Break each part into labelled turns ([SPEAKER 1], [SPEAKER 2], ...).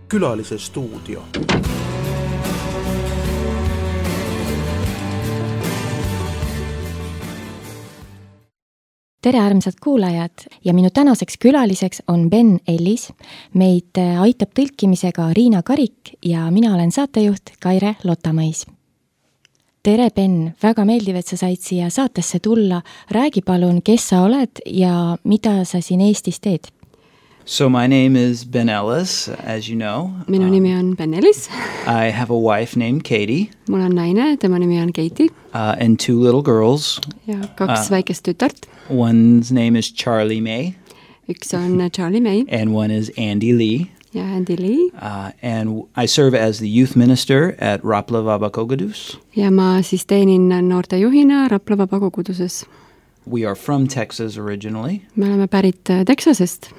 [SPEAKER 1] Külalise stuudio.
[SPEAKER 2] Tere armsad kuulajad ja minu tänaseks külaliseks on Ben Ellis. Meid aitab tõlkimisega Riina Karik ja mina olen saatejuht Kaire Lotamõis. Tere Ben, väga meeldiv, et sa said siia saatesse tulla. Räägi palun, kes sa oled ja mida sa siin Eestis teed?
[SPEAKER 3] So my name is Ben Ellis, as you know.
[SPEAKER 4] Minu nimi on Ben Ellis.
[SPEAKER 3] I have a wife named Katie.
[SPEAKER 4] Mul on naine, tema nimi on Katie.
[SPEAKER 3] And two little girls.
[SPEAKER 4] Ja kaks väikest tütart.
[SPEAKER 3] One's name is Charlie May.
[SPEAKER 4] Üks on Charlie May.
[SPEAKER 3] And one is Andy Lee.
[SPEAKER 4] Ja Andy Lee.
[SPEAKER 3] And I serve as the youth minister at Rapla Vabakogudus.
[SPEAKER 4] Ja ma siis teenin noorte juhina Rapla Vabakoguduses.
[SPEAKER 3] We are from Texas originally.
[SPEAKER 4] Me oleme pärit Texasest.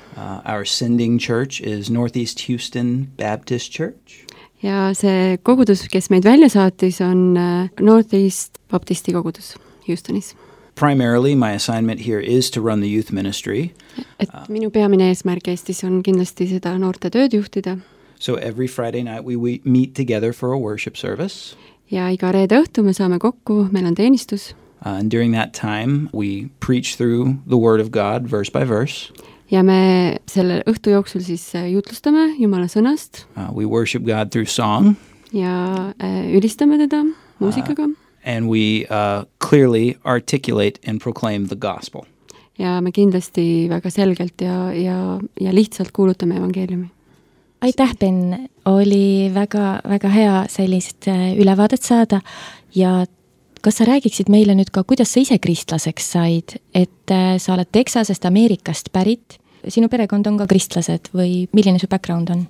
[SPEAKER 3] Our sending church is Northeast Houston Baptist Church.
[SPEAKER 4] Ja see kogudus, kes meid välja saatis, on Northeast Baptisti kogudus Houstonis.
[SPEAKER 3] Primarily, my assignment here is to run the youth ministry.
[SPEAKER 4] Et minu peamine eesmärk Eestis on kindlasti seda noorte tööd juhtida.
[SPEAKER 3] So every Friday night we meet together for a worship service.
[SPEAKER 4] Ja iga reede õhtu me saame kokku, meil on teenistus.
[SPEAKER 3] And during that time, we preach through the Word of God, verse by verse.
[SPEAKER 4] Ja me selle õhtu jooksul siis jutlustame Jumala sõnast.
[SPEAKER 3] We worship God through song.
[SPEAKER 4] Ja ülistame teda muusikaga.
[SPEAKER 3] And we clearly articulate and proclaim the gospel.
[SPEAKER 4] Ja me kindlasti väga selgelt ja lihtsalt kuulutame evangeeliumi.
[SPEAKER 2] Aitäh, Ben! Oli väga hea sellist ülevaadet saada ja kas sa räägiksid meile nüüd ka, kuidas sa ise kristlaseks said, et sa oled Texasest, Ameerikast pärit, sinu perekond on ka kristlased või milline su background on?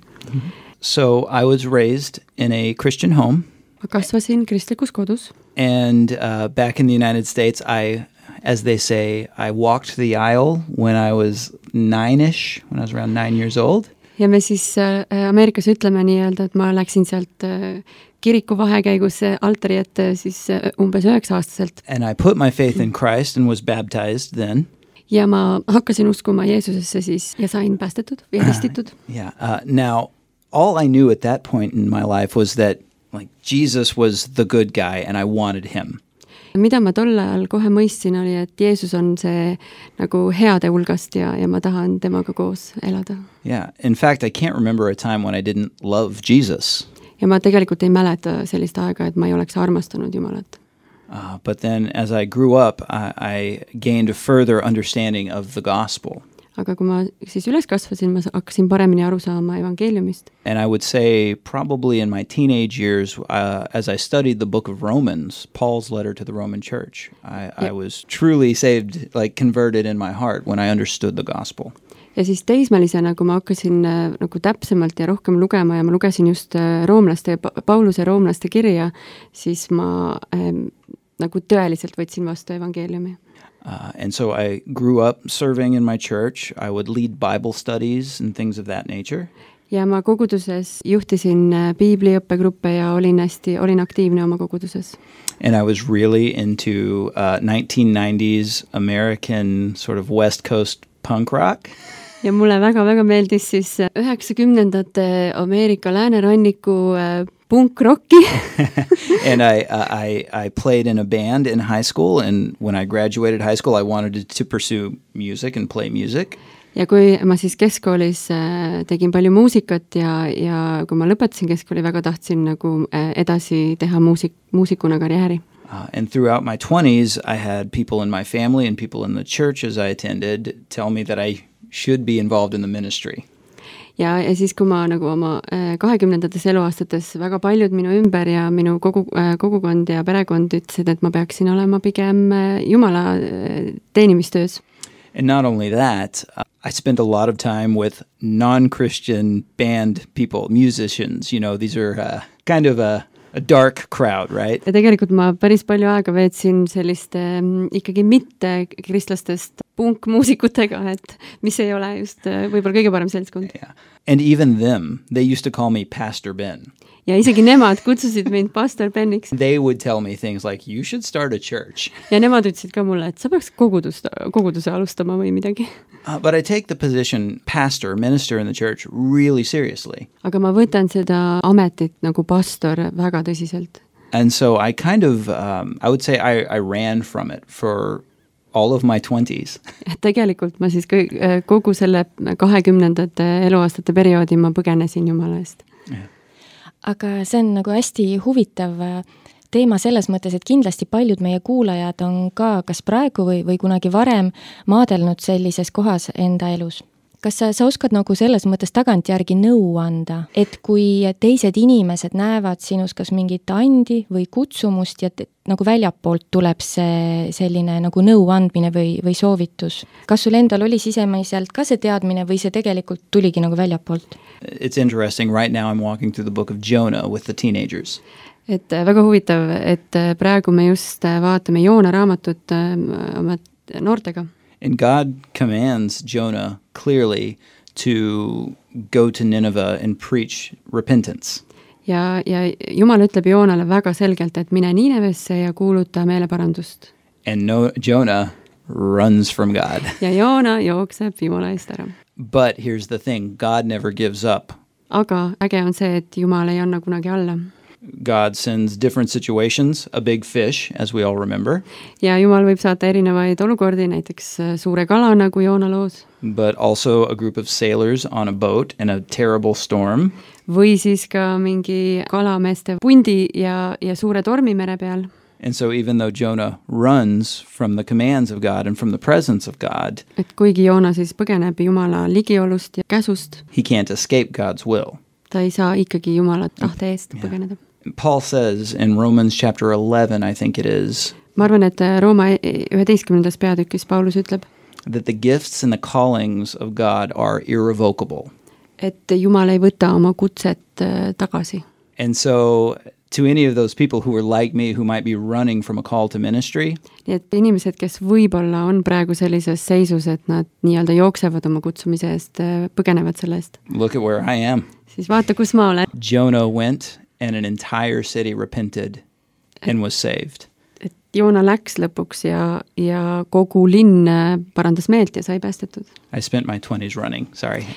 [SPEAKER 3] So I was raised in a Christian home.
[SPEAKER 4] Ma kasvasin kristlikus kodus.
[SPEAKER 3] And back in the United States, as they say, I walked the aisle when I was 9-ish, when I was around 9 years old.
[SPEAKER 4] Ja me siis Ameerikas ütleme nii-öelda, et ma läksin sealt kiriku vahekäigus altari ette siis umbes 9-aastaselt.
[SPEAKER 3] And I put my faith in Christ and was baptized then.
[SPEAKER 4] Ja ma hakkasin uskuma Jeesusesse siis ja sain päästetud ja ristitud.
[SPEAKER 3] Now, all I knew at that point in my life was that like Jesus was the good guy and I wanted him.
[SPEAKER 4] Mida ma tol ajal kohe mõistsin oli, et Jeesus on see nagu heade hulgast ja ma tahan temaga koos elada.
[SPEAKER 3] Yeah, in fact, I can't remember a time when I didn't love Jesus.
[SPEAKER 4] Ja ma tegelikult ei mäleta sellist aega, et ma ei oleks armastanud Jumalat.
[SPEAKER 3] But then as I grew up, I gained a further understanding of the gospel.
[SPEAKER 4] Aga kui ma siis üles kasvasin, ma hakkasin paremini aru saama evangeeliumist.
[SPEAKER 3] And I would say probably in my teenage years, as I studied the book of Romans, Paul's letter to the Roman church, I was truly saved, like converted in my heart when I understood the gospel.
[SPEAKER 4] Ja siis teismelisena, kui ma hakkasin nagu täpsemalt ja rohkem lugema ja ma lugesin just Pauluse roomlaste kirja, siis ma nagu tõeliselt võtsin vastu evangeeliumi.
[SPEAKER 3] And so I grew up serving in my church. I would lead Bible studies and things of that nature.
[SPEAKER 4] Ja ma koguduses juhtisin piibliõppegruppe ja olin aktiivne oma koguduses.
[SPEAKER 3] And I was really into 1990s American sort of West Coast punk rock.
[SPEAKER 4] Ja mulle väga meeldis siis 90ndate Ameerika lääneranniku punk-rocki.
[SPEAKER 3] And I played in a band in high school, and when I graduated high school, I wanted to pursue music and play music.
[SPEAKER 4] Ja kui ma siis keskkoolis tegin palju muusikat ja kui ma lõpetasin keskkooli, väga tahtsin nagu edasi teha muusikuna karjääri.
[SPEAKER 3] And throughout my 20s, I had people in my family and people in the churches I attended tell me that I should be involved in the ministry.
[SPEAKER 4] Ja siis, kui ma nagu oma 20ndates eluaastates väga paljud minu ümber ja minu kogukond ja perekond ütlesid, et ma peaksin olema pigem Jumala teenimistöös.
[SPEAKER 3] And not only that, I spent a lot of time with non-Christian band people, musicians. You know, these are kind of a dark crowd, right?
[SPEAKER 4] Ja tegelikult ma päris palju aega veetsin selliste ikkagi mitte kristlastest punkmuusikutega, et mis ei ole just võib-olla kõige parem seltskond.
[SPEAKER 3] Yeah. And even them, they used to call me Pastor Ben.
[SPEAKER 4] Ja isegi nemad kutsusid mind Pastor Beniks.
[SPEAKER 3] They would tell me things like, you should start a church.
[SPEAKER 4] Ja nemad ütlesid ka mulle, et sa peaks koguduse alustama või midagi.
[SPEAKER 3] But I take the position pastor, minister in the church really seriously.
[SPEAKER 4] Aga ma võtan seda ametit nagu pastor väga tõsiselt.
[SPEAKER 3] And so I kind of, I would say I ran from it for all of my 20s.
[SPEAKER 4] Tegelikult ma siis kogu selle 20. eluaastate perioodi ma põgenesin Jumala eest.
[SPEAKER 3] Yeah.
[SPEAKER 2] Aga see on nagu hästi huvitav teema selles mõttes, et kindlasti paljud meie kuulajad on ka kas praegu või kunagi varem maadelnud sellises kohas enda elus. Kas sa oskad nagu selles mõttes tagantjärgi nõu anda, et kui teised inimesed näevad sinus kas mingit andi või kutsumust ja nagu väljapoolt tuleb see selline nagu nõu andmine või soovitus? Kas sul endal oli sisemiselt ka see teadmine või see tegelikult tuligi nagu väljapoolt?
[SPEAKER 3] It's interesting. Right now I'm walking through the book of Jonah with the teenagers.
[SPEAKER 4] Et väga huvitav, et praegu me just vaatame Joona raamatut oma noortega.
[SPEAKER 3] And God commands Jonah clearly to go to Nineveh and preach repentance.
[SPEAKER 4] Ja Jumal ütleb Joonale väga selgelt, et mine Ninevesse ja kuuluta meeleparandust.
[SPEAKER 3] And Jonah runs from God.
[SPEAKER 4] Ja Joona jookseb Jumala eest ära.
[SPEAKER 3] But here's the thing, God never gives up.
[SPEAKER 4] Aga äge on see, et Jumal ei anna kunagi alla.
[SPEAKER 3] God sends different situations, a big fish, as we all remember.
[SPEAKER 4] Ja Jumal võib saata erinevaid olukordi, näiteks suure kala nagu Joona loos.
[SPEAKER 3] But also a group of sailors on a boat in a terrible storm.
[SPEAKER 4] Või siis ka mingi kalameeste pundi ja suure tormi mere peal.
[SPEAKER 3] And so even though Jonah runs from the commands of God and from the presence of God,
[SPEAKER 4] et kuigi Joona siis põgeneb Jumala ligiolust ja käsust,
[SPEAKER 3] he can't escape God's will.
[SPEAKER 4] Ta ei saa ikkagi Jumala tahte eest põgeneda.
[SPEAKER 3] Paul says in Romans chapter 11, I think it is,
[SPEAKER 4] ma arvan, et Rooma 11. peatükis Paulus ütleb,
[SPEAKER 3] that the gifts and the callings of God are irrevocable.
[SPEAKER 4] Et Jumal ei võta oma kutset tagasi.
[SPEAKER 3] And so to any of those people who are like me, who might be running from a call to ministry,
[SPEAKER 4] nii et inimesed, kes võib-olla on praegu sellises seisus, et nad nii-öelda jooksevad oma kutsumise eest, põgenevad selle eest.
[SPEAKER 3] Look at where I am.
[SPEAKER 4] Siis vaata, kus ma olen.
[SPEAKER 3] Jonah went and an entire city repented and was saved.
[SPEAKER 4] Et Joona läks lõpuks ja kogu linn parandas meelt ja sai päästetud.
[SPEAKER 3] I spent my 20s running,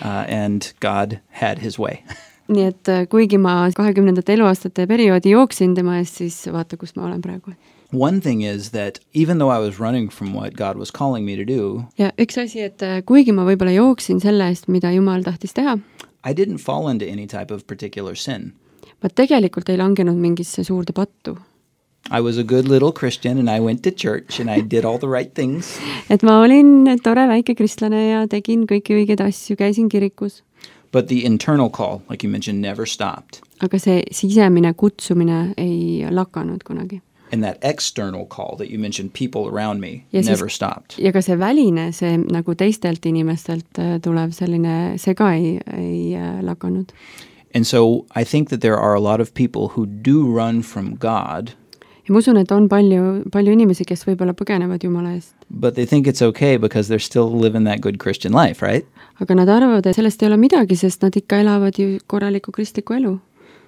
[SPEAKER 3] and God had his way.
[SPEAKER 4] Nii et kuigi ma 20. eluaastate perioodi jooksin tema eest, siis vaata, kus ma olen praegu.
[SPEAKER 3] One thing is that even though I was running from what God was calling me to do,
[SPEAKER 4] ja üks asi, et kuigi ma võib-olla jooksin selle eest, mida Jumal tahtis teha,
[SPEAKER 3] I didn't fall into any type of particular sin.
[SPEAKER 4] Ma tegelikult ei langenud mingisse suurde pattu.
[SPEAKER 3] I was a good little Christian and I went to church and I did all the right things.
[SPEAKER 4] Et ma olin tore väike kristlane ja tegin kõiki õigeid asju, käisin kirikus.
[SPEAKER 3] But the internal call, like you mentioned, never stopped.
[SPEAKER 4] Aga see sisemine kutsumine ei lakanud kunagi.
[SPEAKER 3] And that external call that you mentioned, people around me,
[SPEAKER 4] ja
[SPEAKER 3] never stopped.
[SPEAKER 4] Ja ka see väline, see nagu teistelt inimestelt tulev selline, see ka ei lakanud.
[SPEAKER 3] And so I think that there are a lot of people who do run from God.
[SPEAKER 4] Ja ma usun, et on palju inimesi, kes võib-olla põgenevad Jumala eest.
[SPEAKER 3] But they think it's okay because they're still living that good Christian life, right?
[SPEAKER 4] Aga nad arvavad, et sellest ei ole midagi, sest nad ikka elavad ju korralikku kristlikku elu.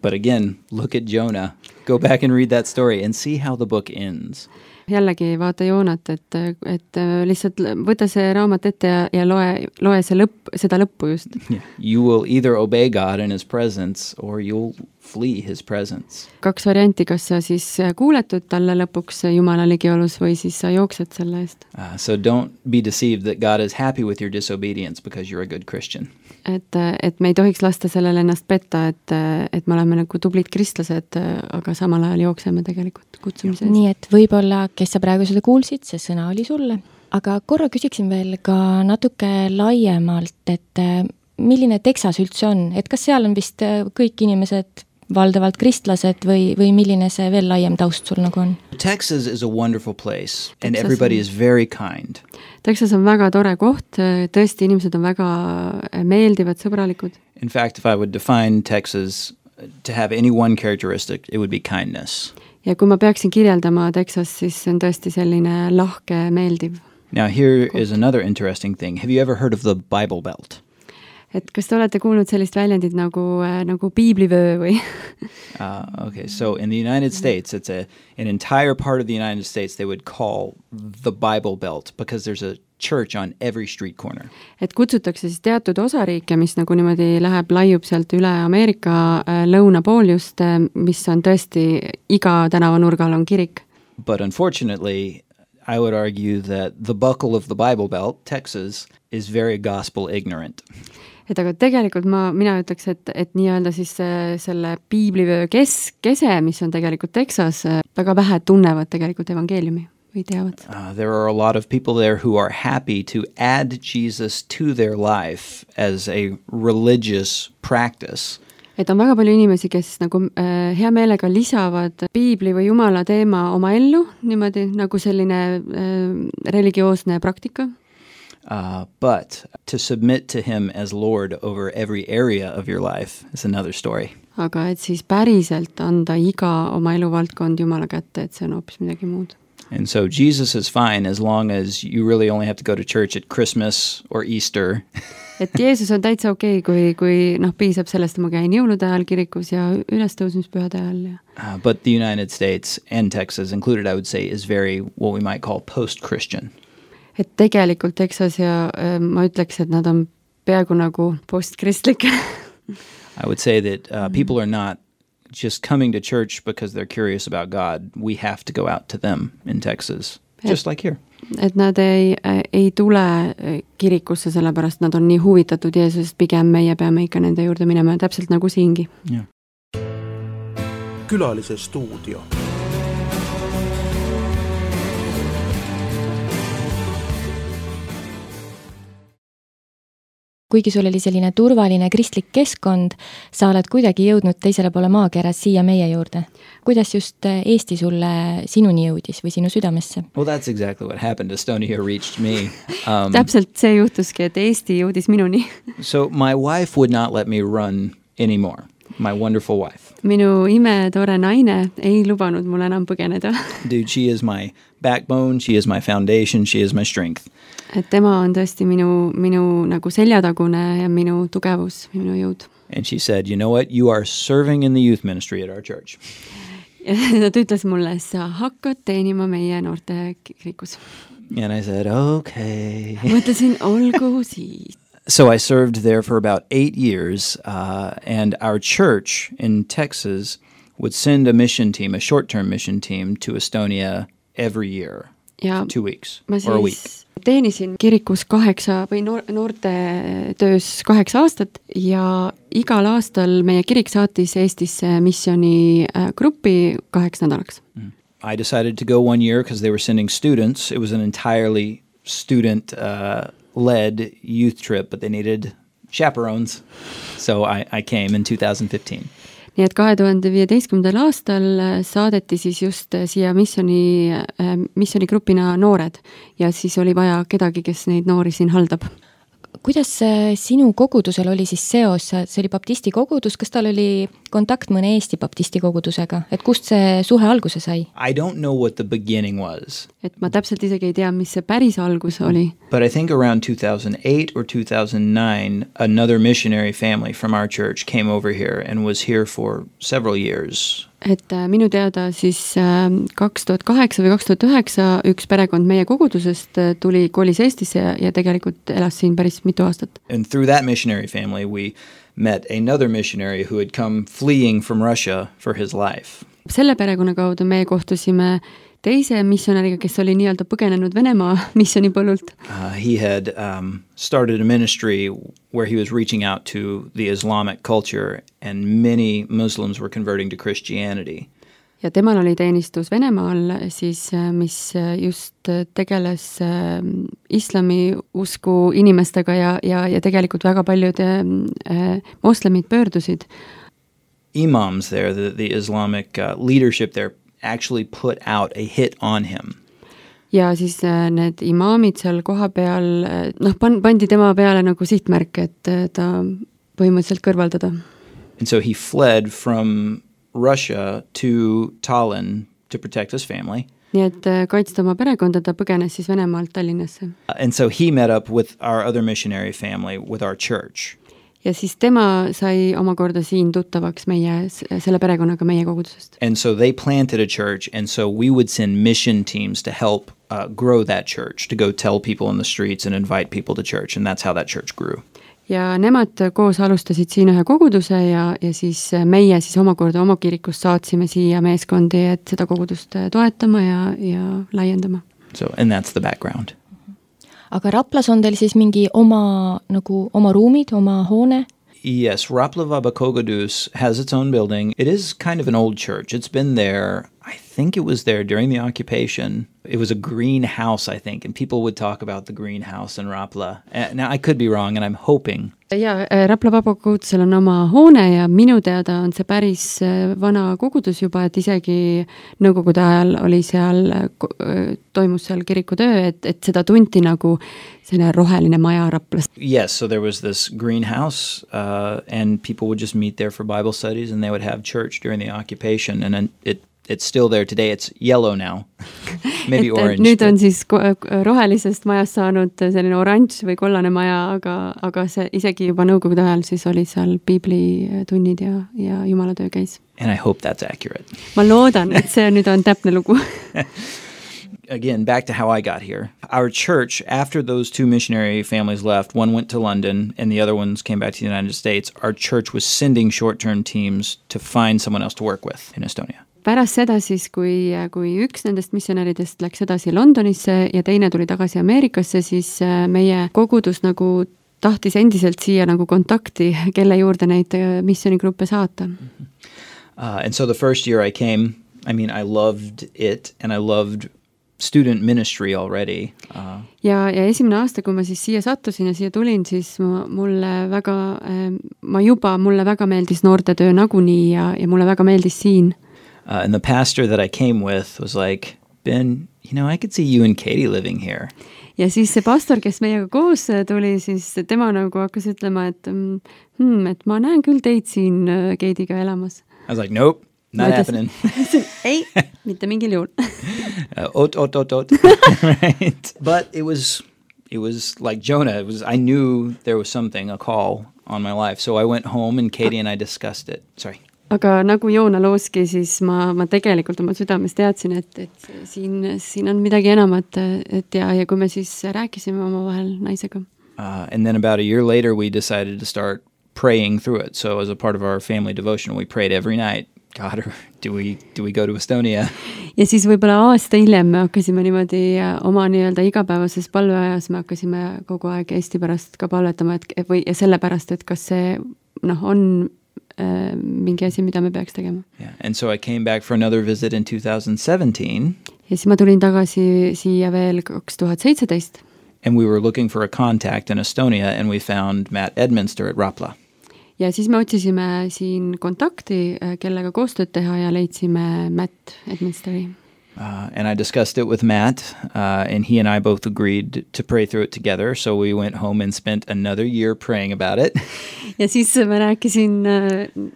[SPEAKER 3] But again, look at Jonah. Go back and read that story and see how the book ends.
[SPEAKER 4] Jällegi vaata Joonat, et lihtsalt võta see raamat ette ja loe seda lõppu just.
[SPEAKER 3] Yeah. You will either obey God in his presence or you'll flee his presence.
[SPEAKER 4] 2 varianti, kas sa siis kuuletud talle lõpuks Jumala ligiolus või siis sa jooksed selle eest.
[SPEAKER 3] So don't be deceived that God is happy with your disobedience because you're a good Christian.
[SPEAKER 4] Et me ei tohiks lasta sellele ennast petta, et me oleme nagu tublid kristlased, aga samal ajal jookseme tegelikult kutsumise eest.
[SPEAKER 2] Nii et võib-olla, kes sa praegu seda kuulsid, see sõna oli sulle. Aga korra küsiksin veel ka natuke laiemalt, et milline Texas üldse on? Et kas seal on vist kõik inimesed valdavalt kristlased või milline see veel laiem taust sul nagu on?
[SPEAKER 3] Texas is a wonderful place and everybody is very kind.
[SPEAKER 4] Texas on väga tore koht, tõesti inimesed on väga meeldivad, sõbralikud.
[SPEAKER 3] In fact, if I would define Texas to have any one characteristic, it would be kindness.
[SPEAKER 4] Ja kui ma peaksin kirjeldama Texas, siis see on tõesti selline lahke, meeldiv.
[SPEAKER 3] Now here is another interesting thing. Have you ever heard of the Bible Belt?
[SPEAKER 4] Et kas te olete kuulnud sellist väljendit nagu piiblivöö või?
[SPEAKER 3] Okay, so in the United States, it's an entire part of the United States they would call the Bible Belt because there's a church on every street corner.
[SPEAKER 4] Et kutsutakse siis teatud osariike, mis nagu niimoodi laiub sealt üle Ameerika lõunapooljust, mis on tõesti iga tänavanurgal on kirik.
[SPEAKER 3] But unfortunately, I would argue that the buckle of the Bible Belt, Texas, is very gospel ignorant.
[SPEAKER 4] Et aga tegelikult mina ütleks, et nii-öelda siis selle piiblivöö kese, mis on tegelikult Texas, väga vähe tunnevad tegelikult evangeeliumi või teavad.
[SPEAKER 3] There are a lot of people there who are happy to add Jesus to their life as a religious practice.
[SPEAKER 4] Et on väga palju inimesi, kes nagu hea meelega lisavad piibli või Jumala teema oma ellu, niimoodi nagu selline religioosne praktika.
[SPEAKER 3] But to submit to him as Lord over every area of your life is another story.
[SPEAKER 4] Aga et siis päriselt anda iga oma eluvaldkond Jumala kätte, et see on hoopis midagi muud.
[SPEAKER 3] And so Jesus is fine as long as you really only have to go to church at Christmas or Easter.
[SPEAKER 4] Et Jeesus on täitsa okei, kui piisab sellest, ma käin jõulude ajal kirikus ja ülestõusmispühade ajal. Ja.
[SPEAKER 3] But the United States and Texas included, I would say, is very what we might call post-Christian.
[SPEAKER 4] Et tegelikult Texas ja ma ütleks, et nad on peaaegu nagu postkristlik.
[SPEAKER 3] I would say that people are not just coming to church because they're curious about God. We have to go out to them in Texas, just like here.
[SPEAKER 4] Et nad ei tule kirikusse sellepärast, nad on nii huvitatud Jeesusest, pigem meie peame ikka nende juurde minema, täpselt nagu siingi.
[SPEAKER 3] Yeah.
[SPEAKER 1] Külalise stuudio.
[SPEAKER 2] Kuigi sul oli selline turvaline kristlik keskkond, sa oled kuidagi jõudnud teisele poole maakeras siia meie juurde. Kuidas just Eesti sulle sinuni jõudis või sinu südamesse?
[SPEAKER 3] Well, that's exactly what happened. Estonia reached me.
[SPEAKER 4] Täpselt see juhtuski, et Eesti jõudis minuni.
[SPEAKER 3] So my wife would not let me run anymore. My wonderful wife.
[SPEAKER 4] Minu imetore naine ei lubanud mul enam põgeneda.
[SPEAKER 3] Dude, she is my backbone, she is my foundation, she is my strength.
[SPEAKER 4] Et tema on tõesti minu nagu seljatagune ja minu tugevus, minu jõud.
[SPEAKER 3] And she said, you know what, you are serving in the youth ministry at our church.
[SPEAKER 4] Ta ütles mulle, sa hakkad teenima meie noorte kirikus.
[SPEAKER 3] And I said, okay.
[SPEAKER 4] Mõtlesin, olgu siis.
[SPEAKER 3] So I served there for about 8 years, and our church in Texas would send a mission team, a short-term mission team, to Estonia every year,
[SPEAKER 4] ja
[SPEAKER 3] 2 weeks or a week.
[SPEAKER 4] Teenisin kirikus 8 või noorte töös 8 aastat ja igal aastal meie kirik saatis Eestisse missiooni gruppi 8 nädalaks.
[SPEAKER 3] I decided to go 1 year because they were sending students. It was an entirely student-led youth trip, but they needed chaperones. So I came in 2015.
[SPEAKER 4] Nii et 2015. aastal saadeti siis just siia missionigrupina noored ja siis oli vaja kedagi, kes neid noori siin haldab.
[SPEAKER 2] Kuidas sinu kogudusel oli siis seos? See oli baptisti kogudus, kas tal oli kontakt mõne Eesti baptisti kogudusega? Et kust see suhe alguse sai?
[SPEAKER 3] I don't know what the beginning was.
[SPEAKER 4] Et ma täpselt isegi ei tea, mis see päris algus oli.
[SPEAKER 3] But I think around 2008 or 2009, another missionary family from our church came over here and was here for several years. Et minu teada siis 2008 või 2009 üks perekond meie kogudusest kolis Eestisse ja tegelikult elas siin päris mitu aastat. And through that missionary family we met another missionary who had come fleeing from Russia for his life.
[SPEAKER 4] Selle perekonna kaudu me kohtusime teise missionäriga, kes oli nii-öelda põgenenud Venemaa missionipõllult.
[SPEAKER 3] He had started a ministry where he was reaching out to the Islamic culture and many Muslims were converting to Christianity.
[SPEAKER 4] Ja temal oli teenistus Venemaal, siis, mis just tegeles islami usku inimestega ja tegelikult väga paljud moslemid pöördusid.
[SPEAKER 3] Imams there, the Islamic leadership there, actually put out a hit on him.
[SPEAKER 4] Ja siis need imaamid seal koha peal, pandi tema peale nagu sihtmärk, et ta põhimõtteliselt kõrvaldada.
[SPEAKER 3] And so he fled from Russia to Tallinn to protect his family.
[SPEAKER 4] nii et kaitsta oma perekonda, ta põgenes siis Venemaalt Tallinnasse.
[SPEAKER 3] And so he met up with our other missionary family, with our church.
[SPEAKER 4] Ja siis tema sai omakorda siin tuttavaks selle perekonnaga meie kogudusest.
[SPEAKER 3] And so they planted a church, and so we would send mission teams to help grow that church, to go tell people in the streets and invite people to church, and that's how that church grew.
[SPEAKER 4] Ja nemad koos alustasid siin ühe koguduse ja siis meie siis omakorda oma kirikust saatsime siia meeskondi, et seda kogudust toetama ja laiendama.
[SPEAKER 3] So, and that's the background.
[SPEAKER 2] Aga Raplas on teil siis mingi oma ruumid, oma hoone?
[SPEAKER 3] Yes, Rapla Vabakogodus has its own building. It is kind of an old church. It's been there, I think it was there during the occupation. It was a greenhouse, I think, and people would talk about the greenhouse in Rapla. Now, I could be wrong, and I'm hoping.
[SPEAKER 4] Ja Rapla Vabakogodusel on oma hoone ja minu teada on see päris vana kogudus juba, et isegi nõukogude ajal oli seal, toimus seal kirikutöö, et seda tunti nagu selline roheline maja Raplas.
[SPEAKER 3] Yes, so there was this greenhouse, and people would just meet there for Bible studies, and they would have church during the occupation, and it's still there today. It's yellow now. Maybe orange.
[SPEAKER 4] Nüüd on siis rohelisest majast saanud selline oranž või kollane maja, aga see isegi juba nõukogude ajal siis oli seal piiblitunnid ja jumalatöö käis.
[SPEAKER 3] And I hope that's accurate.
[SPEAKER 4] Ma loodan, et see nüüd on täpne lugu.
[SPEAKER 3] Again, back to how I got here. Our church, after those two missionary families left, one went to London and the other ones came back to the United States, our church was sending short-term teams to find someone else to work with in Estonia.
[SPEAKER 4] Pärast seda siis, kui üks nendest missionäridest läks edasi Londonisse ja teine tuli tagasi Ameerikasse, siis meie kogudus nagu tahtis endiselt siia nagu kontakti, kelle juurde neid missionigruppe saata.
[SPEAKER 3] And so the first year I came, I loved it and I loved student ministry already.
[SPEAKER 4] Ja esimene aasta, kui ma siis siia sattusin ja siia tulin, siis mulle väga meeldis noortetöö nagunii ja mulle väga meeldis siin.
[SPEAKER 3] And the pastor that I came with was like, Ben, I could see you and Katie living here.
[SPEAKER 4] Ja siis see pastor, kes meiega koos tuli, siis tema nagu hakkas ütlema, et ma näen küll teid siin Katie'ga elamas.
[SPEAKER 3] I was like, nope, not happening.
[SPEAKER 4] Ei, mitte mingil juhul.
[SPEAKER 3] Oot. Right. But it was like Jonah. I knew there was something, a call on my life. So I went home and Katie and I discussed it. Sorry.
[SPEAKER 4] Aga nagu Joona looski, siis ma tegelikult oma südames teadsin, et siin on midagi enamat, ja kui me siis rääkisime omavahel naisega.
[SPEAKER 3] And then about a year later we decided to start praying through it. So as a part of our family devotion, we prayed every night. God, do we go to Estonia? Ja siis võib-olla aasta hiljem me hakkasime niimoodi oma nii-öelda igapäevases palveajas, me hakkasime kogu aeg Eesti pärast ka palvetama, ja selle pärast, et kas see on mingi asi, mida me peaks tegema. Yeah. And so I came back for another visit in 2017.
[SPEAKER 4] Ja siis ma tulin tagasi siia veel 2017.
[SPEAKER 3] And we were looking for a contact in Estonia and we found Matt Edminster at Rapla.
[SPEAKER 4] Ja siis me otsisime siin kontakti, kellega koostööd teha ja leidsime Matt Edminsteri.
[SPEAKER 3] And I discussed it with Matt, and he and I both agreed to pray through it together, so we went home and spent another year praying about it.
[SPEAKER 4] Ja siis ma rääkisin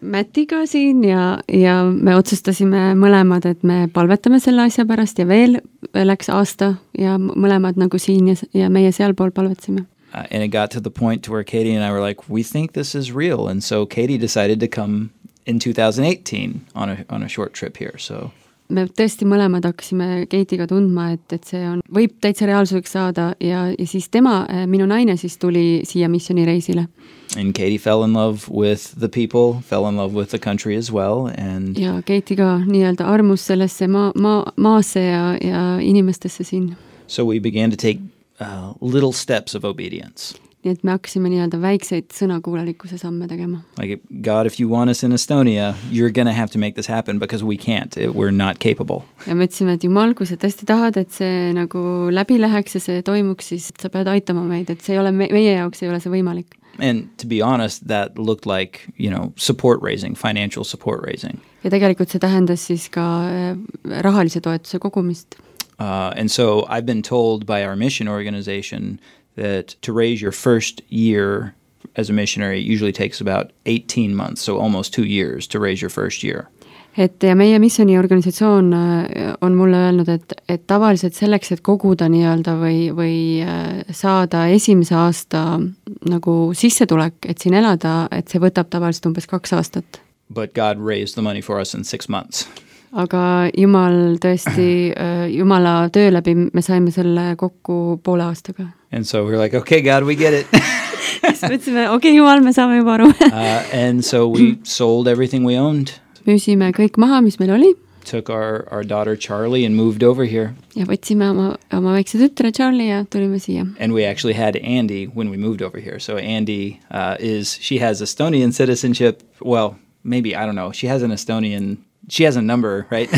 [SPEAKER 4] Mattiga siin ja me otsustasime mõlemad, et me palvetame selle asja pärast ja veel läks aasta ja mõlemad nagu siin ja meie sealpool palvetasime.
[SPEAKER 3] And it got to the point to where Katie and I were like, we think this is real, and so Katie decided to come in 2018 on a short trip here, so...
[SPEAKER 4] Me tõesti mõlemad hakkasime Katie'ga tundma, et see võib täitsa reaalsuseks saada ja siis minu naine siis tuli siia missioonireisile.
[SPEAKER 3] And Katie fell in love with the people, fell in love with the country as well. And
[SPEAKER 4] ja Katie ka nii-öelda armus sellesse maasse ja inimestesse siin.
[SPEAKER 3] So we began to take little steps of obedience.
[SPEAKER 4] Nii et me hakkasime nii-öelda väikseid sõnakuulelikkuse samme tegema.
[SPEAKER 3] Like, God, if you want us in Estonia, you're going to have to make this happen because we can't. We're not capable.
[SPEAKER 4] Ja me ütlesime, et Jumal, kui sa tõesti tahad, et see nagu läbi läheks ja see toimuks, siis sa pead aitama meid, et see ei ole meie jaoks ei ole see võimalik.
[SPEAKER 3] And to be honest, that looked like, support raising, financial support raising.
[SPEAKER 4] Ja tegelikult see tähendas siis ka rahalise toetuse kogumist.
[SPEAKER 3] And so I've been told by our mission organization that to raise your first year as a missionary usually takes about 18 months, so almost 2 years to raise your first year.
[SPEAKER 4] et ja meie missiooniorganisatsioon on mulle öelnud, et tavaliselt selleks, et koguda nii-öelda või saada esimese aasta nagu sissetulek, et siin elada, et see võtab tavaliselt umbes 2 aastat.
[SPEAKER 3] But God raised the money for us in 6 months.
[SPEAKER 4] Aga Jumal tõesti, Jumala töö läbi me saime selle kokku 1,5 aastaga.
[SPEAKER 3] And so we're like, okay, God, we get it.
[SPEAKER 4] Siis mõtlesime, okei, Jumal, me saame juba aru.
[SPEAKER 3] And so we sold everything we owned.
[SPEAKER 4] Müüsime kõik maha, mis meil oli.
[SPEAKER 3] Took our daughter Charlie and moved over here.
[SPEAKER 4] Ja võtsime oma väikse tütre Charlie ja tulime siia.
[SPEAKER 3] And we actually had Andy when we moved over here. So Andy she has Estonian citizenship. Well, maybe, I don't know. She has a number, right?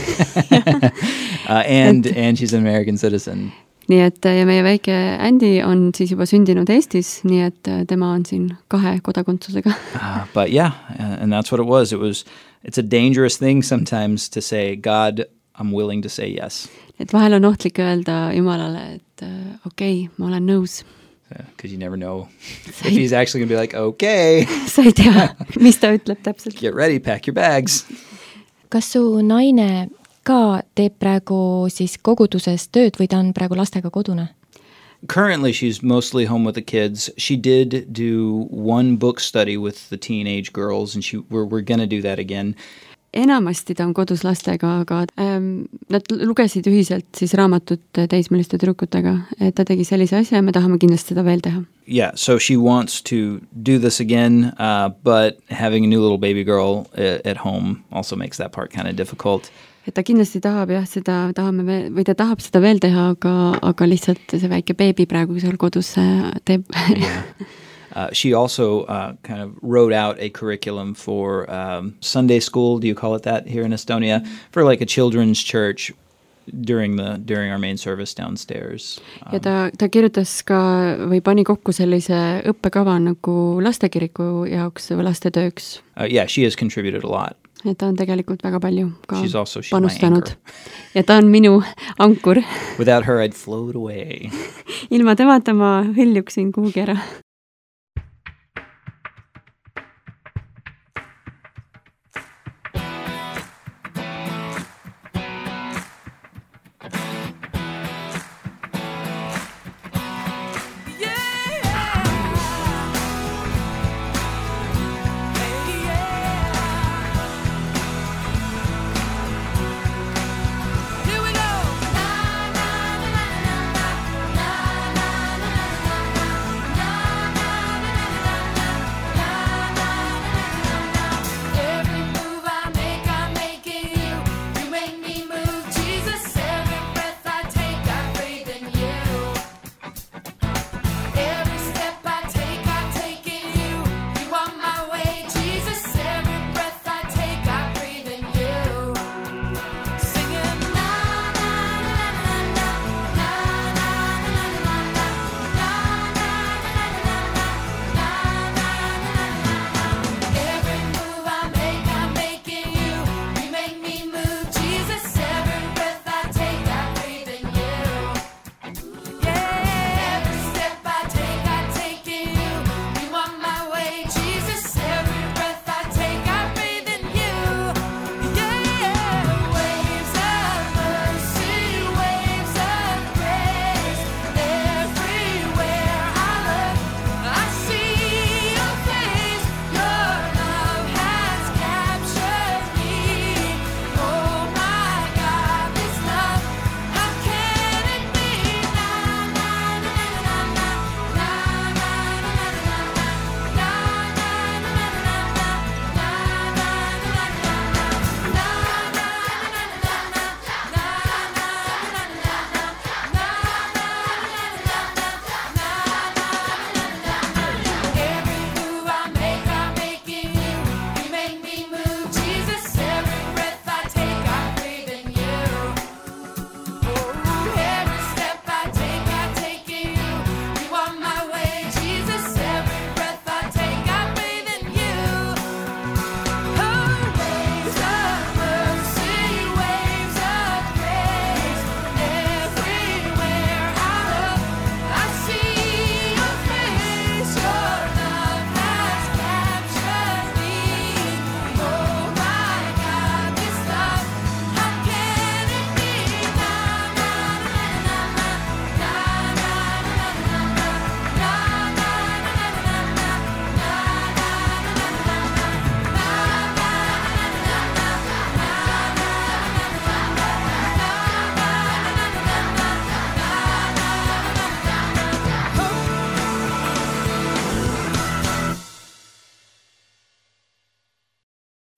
[SPEAKER 3] And she's an American citizen.
[SPEAKER 4] Nii et ja meie väike Andy on siis juba sündinud Eestis, nii et tema on siin 2 kodakondsusega.
[SPEAKER 3] But yeah, and that's what it was. It's a dangerous thing sometimes to say, God, I'm willing to say yes.
[SPEAKER 4] Et vahel on ohtlik öelda Jumalale, et okei, ma olen nõus.
[SPEAKER 3] Because you never know if he's actually going to be like, okay.
[SPEAKER 4] Sa ei tea, mis ta ütleb täpselt.
[SPEAKER 3] Get ready, pack your bags.
[SPEAKER 2] Kas su naine ka teeb praegu siis koguduses tööd või ta on praegu lastega kodune?
[SPEAKER 3] Currently, she's mostly home with the kids. She did do 1 book study with the teenage girls, and we're going to do that again.
[SPEAKER 4] Enamasti ta on kodus lastega, aga nad lugesid ühiselt siis raamatut teismeliste tüdrukutega. Et ta tegi sellise asja ja me tahame kindlasti seda veel teha.
[SPEAKER 3] Yeah, so she wants to do this again, but having a new little baby girl at home also makes that part kind of difficult.
[SPEAKER 4] Et ta kindlasti tahab seda tahame veel, või ta tahab seda veel teha, aga lihtsalt see väike beebi praegu seal kodus teeb.
[SPEAKER 3] Yeah. She also kind of wrote out a curriculum for Sunday school, do you call it that here in Estonia, for like a children's church during our main service downstairs.
[SPEAKER 4] Ja ta kirjutas ka või pani kokku sellise õppekava nagu lastekiriku jaoks või lastetööks.
[SPEAKER 3] Yeah, she has contributed a lot.
[SPEAKER 4] Ja ta on tegelikult väga palju ka
[SPEAKER 3] she's
[SPEAKER 4] panustanud. Ja ta on minu ankur.
[SPEAKER 3] Without her, I'd float away.
[SPEAKER 4] Ilma temata ma hõljuksin kuhugi ära.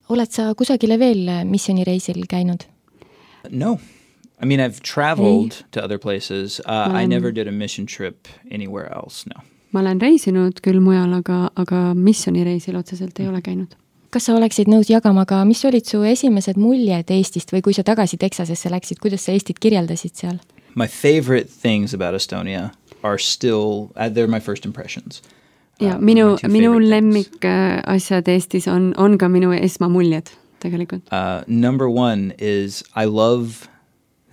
[SPEAKER 2] oled sa kusagile veel missioonireisil käinud?
[SPEAKER 3] No. I mean, I've traveled to other places. I never did a mission trip anywhere else, no.
[SPEAKER 4] Ma olen reisinud küll mujal, aga missioonireisil otseselt ei ole käinud.
[SPEAKER 2] Kas sa oleksid nõus jagama ka, mis olid su esimesed muljed Eestist või kui sa tagasi Texasesse läksid, kuidas sa Eestit kirjeldasid seal?
[SPEAKER 3] My favorite things about Estonia are still, they're my first impressions.
[SPEAKER 4] Ja minu lemmik asjad Eestis on ka minu esmamuljed tegelikult.
[SPEAKER 3] Number one is I love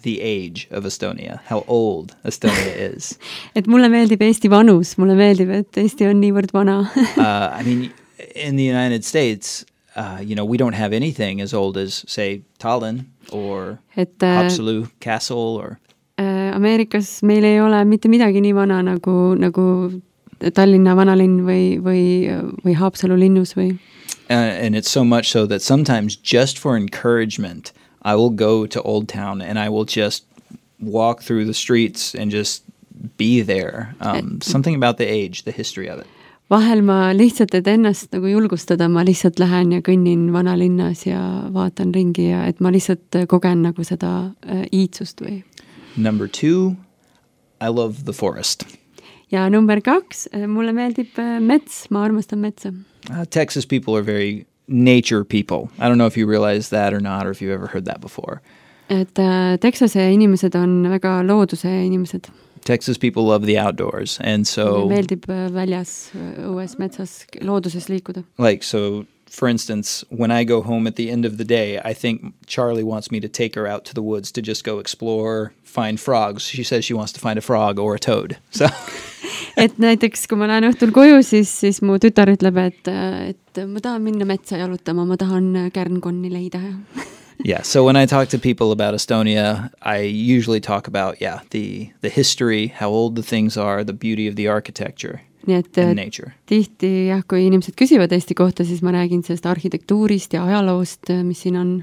[SPEAKER 3] the age of Estonia, how old Estonia is.
[SPEAKER 4] Et mulle meeldib Eesti vanus, mulle meeldib, et Eesti on niivõrd vana.
[SPEAKER 3] I mean, in the United States, we don't have anything as old as, say, Tallinn or Haapsalu Castle or...
[SPEAKER 4] Ameerikas meil ei ole mitte midagi nii vana nagu Tallinna vanalinn või Haapsalu linnus või...
[SPEAKER 3] And it's so much so that sometimes just for encouragement, I will go to Old Town and I will just walk through the streets and just be there. Something about the age, the history of it.
[SPEAKER 4] Vahel ma lihtsalt, et ennast nagu julgustada, ma lihtsalt lähen ja kõnnin vanalinnas ja vaatan ringi ja et ma lihtsalt kogen nagu seda iidsust või.
[SPEAKER 3] Number 2, I love the forest.
[SPEAKER 4] Ja number 2, mulle meeldib mets, ma armastan metsa.
[SPEAKER 3] Texas people are very nature people. I don't know if you realize that or not, or if you've ever heard that before.
[SPEAKER 4] Et Texase inimesed on väga looduse inimesed.
[SPEAKER 3] Texas people love the outdoors, and so...
[SPEAKER 4] Meeldib väljas, õues, metsas, looduses liikuda.
[SPEAKER 3] Like, so, for instance, when I go home at the end of the day, I think Charlie wants me to take her out to the woods to just go explore, find frogs. She says she wants to find a frog or a toad. So...
[SPEAKER 4] Et näiteks, kui ma lähen õhtul koju, siis mu tütar ütleb, et ma tahan minna metsa jalutama, ma tahan kärnkonni leida.
[SPEAKER 3] Yeah, so when I talk to people about Estonia, I usually talk about, the history, how old the things are, the beauty of the architecture and nature.
[SPEAKER 4] Tihti, kui inimesed küsivad Eesti kohta, siis ma räägin sellest arhitektuurist ja ajaloost, mis siin on.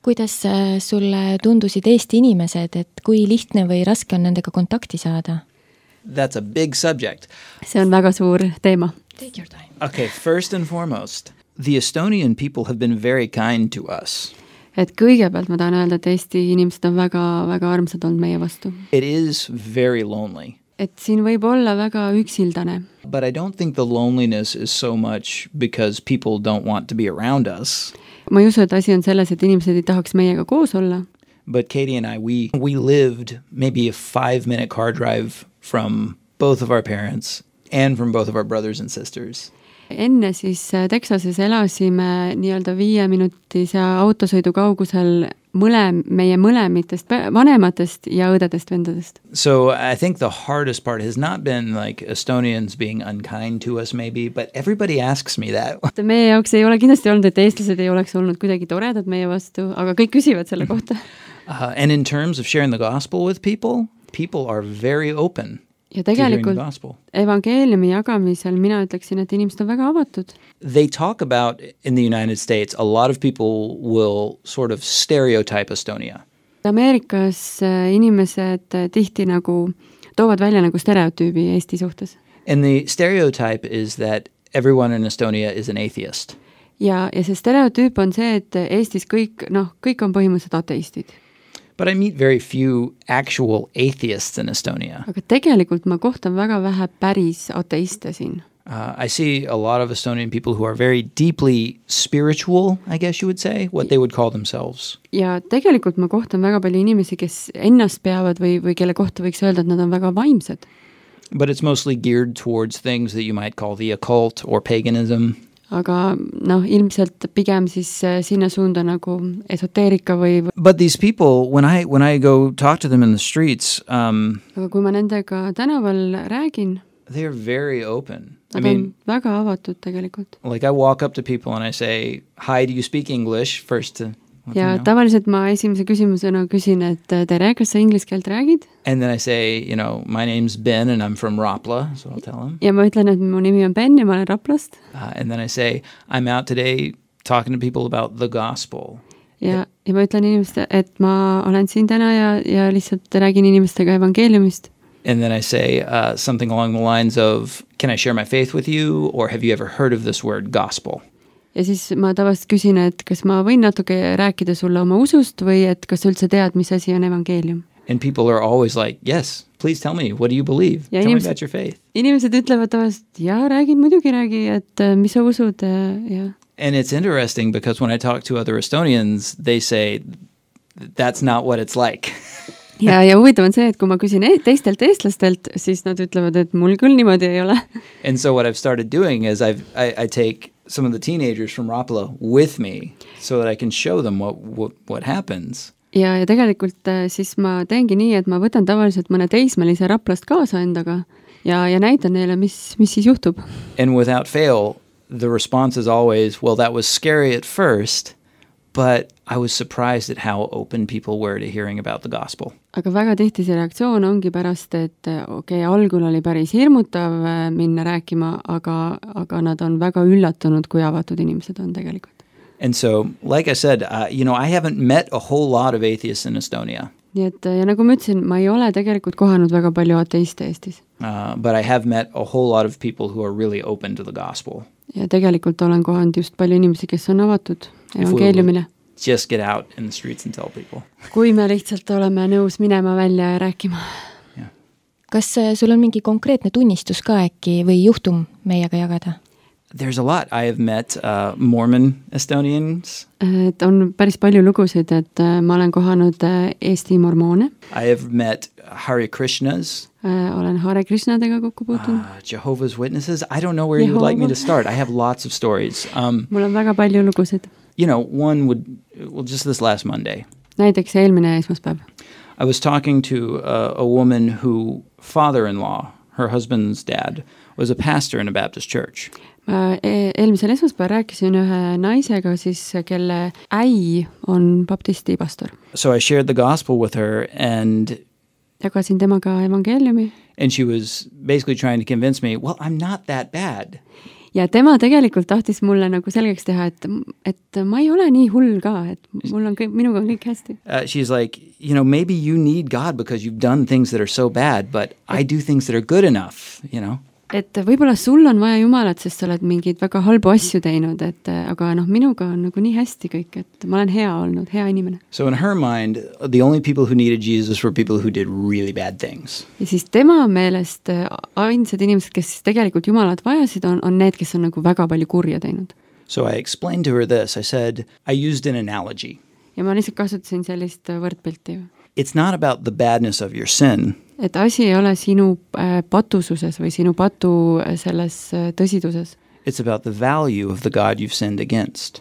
[SPEAKER 2] Kuidas sulle tundusid Eesti inimesed, et kui lihtne või raske on nendega kontakti saada?
[SPEAKER 3] That's a big subject.
[SPEAKER 4] See on väga suur teema.
[SPEAKER 2] Take your time.
[SPEAKER 3] Okay, first and foremost, the Estonian people have been very kind to us.
[SPEAKER 4] Et kõigepealt ma tahan öelda, et Eesti inimesed on väga, väga armsad olnud meie vastu.
[SPEAKER 3] It is very lonely.
[SPEAKER 4] Et siin võib olla väga üksildane.
[SPEAKER 3] But I don't think the loneliness is so much because people don't want to be around us.
[SPEAKER 4] Ma ei usu, et asi on selles, et inimesed ei tahaks meiega koos olla.
[SPEAKER 3] But Katie and I, we lived maybe a 5-minute car drive from both of our parents and from both of our brothers and sisters.
[SPEAKER 4] Enne siis Texases elasime nii-öelda 5-minutise autosõidu kaugusel meie mõlemitest vanematest ja õdedest vendadest.
[SPEAKER 3] So I think the hardest part has not been like Estonians being unkind to us maybe, but everybody asks me that.
[SPEAKER 4] Meie jaoks ei ole kindlasti olnud, et eestlased ei oleks olnud kuidagi toredad meie vastu, aga kõik küsivad selle kohta.
[SPEAKER 3] And in terms of sharing the gospel with people are very open.
[SPEAKER 4] Ja tegelikult evangeeliumi jagamisel mina ütleksin, et inimesed on väga avatud.
[SPEAKER 3] They talk about, in the United States, a lot of people will sort of stereotype Estonia.
[SPEAKER 4] Ameerikas inimesed tihti nagu toovad välja nagu stereotüübi Eesti suhtes.
[SPEAKER 3] And the stereotype is that everyone in Estonia is an atheist.
[SPEAKER 4] Ja see stereotüüp on see, et Eestis kõik on põhimõtteliselt ateistid.
[SPEAKER 3] But I meet very few actual atheists in Estonia.
[SPEAKER 4] Aga tegelikult ma kohtan väga vähe päris ateiste siin.
[SPEAKER 3] I see a lot of Estonian people who are very deeply spiritual, I guess you would say, what they would call themselves.
[SPEAKER 4] Ja tegelikult ma kohtan väga palju inimesi, kes ennast peavad või kelle kohta võiks öelda, et nad on väga vaimsed.
[SPEAKER 3] But it's mostly geared towards things that you might call the occult or paganism.
[SPEAKER 4] Aga ilmselt pigem siis sinna suunda nagu esoteerika või...
[SPEAKER 3] But these people, when I go talk to them in the streets...
[SPEAKER 4] aga kui ma nendega tänaval räägin...
[SPEAKER 3] They're very open.
[SPEAKER 4] Nad on väga avatud tegelikult.
[SPEAKER 3] Like I walk up to people and I say, hi, do you speak English? First to...
[SPEAKER 4] Ja tavaliselt ma esimese küsimusena küsin, et tere, kas sa inglise keelt räägid?
[SPEAKER 3] And then I say, my name's Ben and I'm from Rapla, so I'll tell him.
[SPEAKER 4] Ja ma ütlen, et mu nimi on Ben ja ma olen Raplast.
[SPEAKER 3] And then I say, I'm out today talking to people about the gospel.
[SPEAKER 4] Ja ma ütlen inimestele, et ma olen siin täna ja lihtsalt räägin inimestega evangeeliumist.
[SPEAKER 3] And then I say something along the lines of, can I share my faith with you? Or have you ever heard of this word gospel?
[SPEAKER 4] ja siis ma tavaliselt küsin, et kas ma võin natuke rääkida sulle oma usust või et kas sa üldse tead, mis asi on evangeelium.
[SPEAKER 3] And people are always like, yes, please tell me, what do you believe?
[SPEAKER 4] Ja
[SPEAKER 3] tell me about your faith.
[SPEAKER 4] Inimesed ütlevad tavaliselt, muidugi räägi, et mis sa usud, ja.
[SPEAKER 3] And it's interesting because when I talk to other Estonians, they say, that's not what it's like.
[SPEAKER 4] ja huvitav on see, et kui ma küsin teistelt eestlastelt, siis nad ütlevad, et mul küll niimoodi ei ole.
[SPEAKER 3] And so what I've started doing is I take some of the teenagers from Rapla with me so that I can show them what happens.
[SPEAKER 4] Ja tegelikult siis ma teengi nii, et ma võtan tavaliselt mõne teismelise Raplast kaasa endaga ja näitan neile, mis siis juhtub.
[SPEAKER 3] And without fail, the response is always, well, that was scary at first, but I was surprised at how open people were to hearing about the gospel.
[SPEAKER 4] Aga väga tihti see reaktsioon ongi pärast, et algul oli päris hirmutav minna rääkima, aga nad on väga üllatunud, kui avatud inimesed on tegelikult.
[SPEAKER 3] And so, like I said, I haven't met a whole lot of atheists in Estonia.
[SPEAKER 4] Nii et, ja nagu ma ütlesin, ma ei ole tegelikult kohanud väga palju ateiste Eestis.
[SPEAKER 3] But I have met a whole lot of people who are really open to the gospel.
[SPEAKER 4] Ja tegelikult olen kohanud just palju inimesi, kes on avatud evangeeliumile.
[SPEAKER 3] Just get out in the streets and tell people.
[SPEAKER 4] Kui me lihtsalt oleme nõus minema välja ja rääkima.
[SPEAKER 3] Yeah.
[SPEAKER 2] Kas sul on mingi konkreetne tunnistus ka äkki või juhtum meiega jagada?
[SPEAKER 3] There's a lot. I have met Mormon Estonians.
[SPEAKER 4] Et on päris palju lugusid, et ma olen kohanud Eesti mormoone.
[SPEAKER 3] I have met Hare Krishnas.
[SPEAKER 4] Olen Hare Krishnadega kokku puutunud.
[SPEAKER 3] Jehovah's Witnesses. I don't know where you would like me to start. I have lots of stories.
[SPEAKER 4] Mul on väga palju lugusid.
[SPEAKER 3] Just this last Monday.
[SPEAKER 4] Näiteks eelmine esmaspäev.
[SPEAKER 3] I was talking to a woman who father-in-law, her husband's dad, was a pastor in a Baptist church.
[SPEAKER 4] Eelmisel esmaspäeval rääkisin ühe naisega, siis kelle äi on baptisti pastor.
[SPEAKER 3] So I shared the gospel with her and
[SPEAKER 4] jagasin temaga evangeeliumi.
[SPEAKER 3] And she was basically trying to convince me, well, I'm not that bad.
[SPEAKER 4] Ja tema tegelikult tahtis mulle nagu selgeks teha, et ma ei ole nii hull ka, et minuga on kõik hästi.
[SPEAKER 3] She's like, maybe you need God because you've done things that are so bad, but I do things that are good enough,
[SPEAKER 4] Et võib-olla sul on vaja Jumalat, sest sa oled mingeid väga halbu asju teinud, aga minuga on nagu nii hästi kõik, et ma olen hea olnud, hea inimene.
[SPEAKER 3] So in her mind, the only people who needed Jesus were people who did really bad things.
[SPEAKER 4] Ja siis tema meelest ainsad inimesed, kes tegelikult Jumalat vajasid, on need, kes on nagu väga palju kurja teinud.
[SPEAKER 3] So I explained to her this. I said, I used an analogy.
[SPEAKER 4] Ja ma lihtsalt kasutasin sellist võrdpilti.
[SPEAKER 3] It's not about the badness of your sin.
[SPEAKER 4] Et asi ei ole sinu patususes või sinu patu selles tõsiduses.
[SPEAKER 3] It's about the value of the God you've sinned against.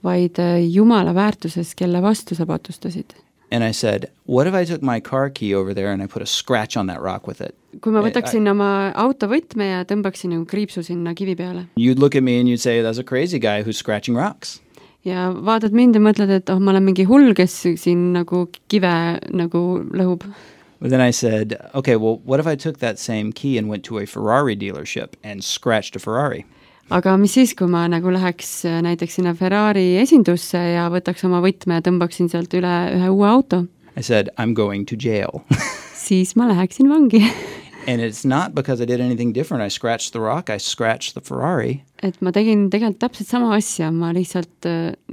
[SPEAKER 4] Vaid Jumala väärtuses, kelle vastu sa patustasid.
[SPEAKER 3] And I said, what if I took my car key over there and I put a scratch on that rock with it?
[SPEAKER 4] Kui ma võtaksin oma autovõtme ja tõmbaksin kriipsu sinna kivi peale.
[SPEAKER 3] You'd look at me and you'd say, that's a crazy guy who's scratching rocks.
[SPEAKER 4] Ja vaatad mind ja mõtled, et ma olen mingi hull, kes siin nagu kive nagu lõhub.
[SPEAKER 3] But then I said, okay, well, what if I took that same key and went to a Ferrari dealership and scratched a Ferrari?
[SPEAKER 4] Aga mis siis, kui ma nagu läheks näiteks sinna Ferrari esindusse ja võtaks oma võtme ja tõmbaksin sealt üle ühe uue auto?
[SPEAKER 3] I said, I'm going to jail.
[SPEAKER 4] Siis ma läheksin vangi.
[SPEAKER 3] And it's not because I did anything different. I scratched the rock, I scratched the Ferrari.
[SPEAKER 4] Et ma tegin tegelikult täpselt sama asja, ma lihtsalt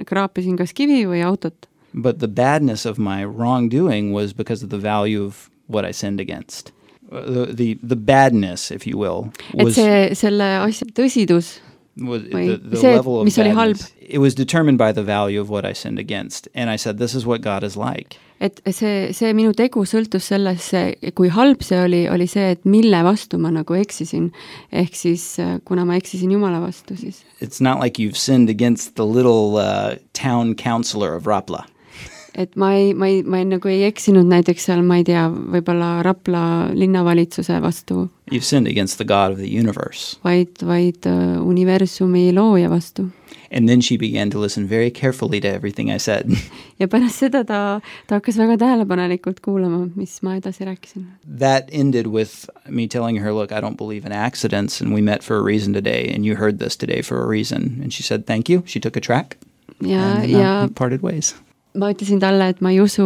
[SPEAKER 4] kraapisin kas kivi või autot.
[SPEAKER 3] But the badness of my wrongdoing was because of the value of what I sinned against. The badness, if you will, was... Et
[SPEAKER 4] selle asja tõsidus
[SPEAKER 3] was the level of
[SPEAKER 4] mis oli halb.
[SPEAKER 3] It was determined by the value of what I sinned against. And I said, this is what God is like.
[SPEAKER 4] Et see minu tegu sõltus sellesse, kui halb see oli see, et mille vastu ma nagu eksisin. Ehk siis, kuna ma eksisin Jumala vastu, siis.
[SPEAKER 3] It's not like you've sinned against the little town councilor of Rapla.
[SPEAKER 4] Et ma nagu ei eksinud näiteks seal, ma ei tea, võibolla Rapla linnavalitsuse vastu.
[SPEAKER 3] You've sinned against the God of the universe.
[SPEAKER 4] Vaid universumi looja vastu.
[SPEAKER 3] And then she began to listen very carefully to everything I said.
[SPEAKER 4] Ja pärast seda ta hakkas väga tähelepanelikult kuulama, mis ma edasi rääkisin.
[SPEAKER 3] That ended with me telling her, look, I don't believe in accidents and we met for a reason today and you heard this today for a reason. And she said, thank you. She took a track and we parted ways. Ma ütlesin talle, et ma ei usu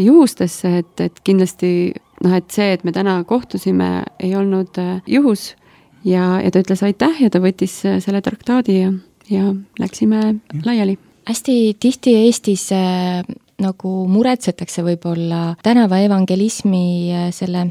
[SPEAKER 3] juhustesse, et kindlasti, et see, et me täna kohtusime, ei olnud juhus ja ta ütles aitäh ja ta võttis selle traktaadi
[SPEAKER 4] ja läksime laiali.
[SPEAKER 2] Hästi tihti Eestis nagu muretsetakse võib-olla tänava evangelismi selle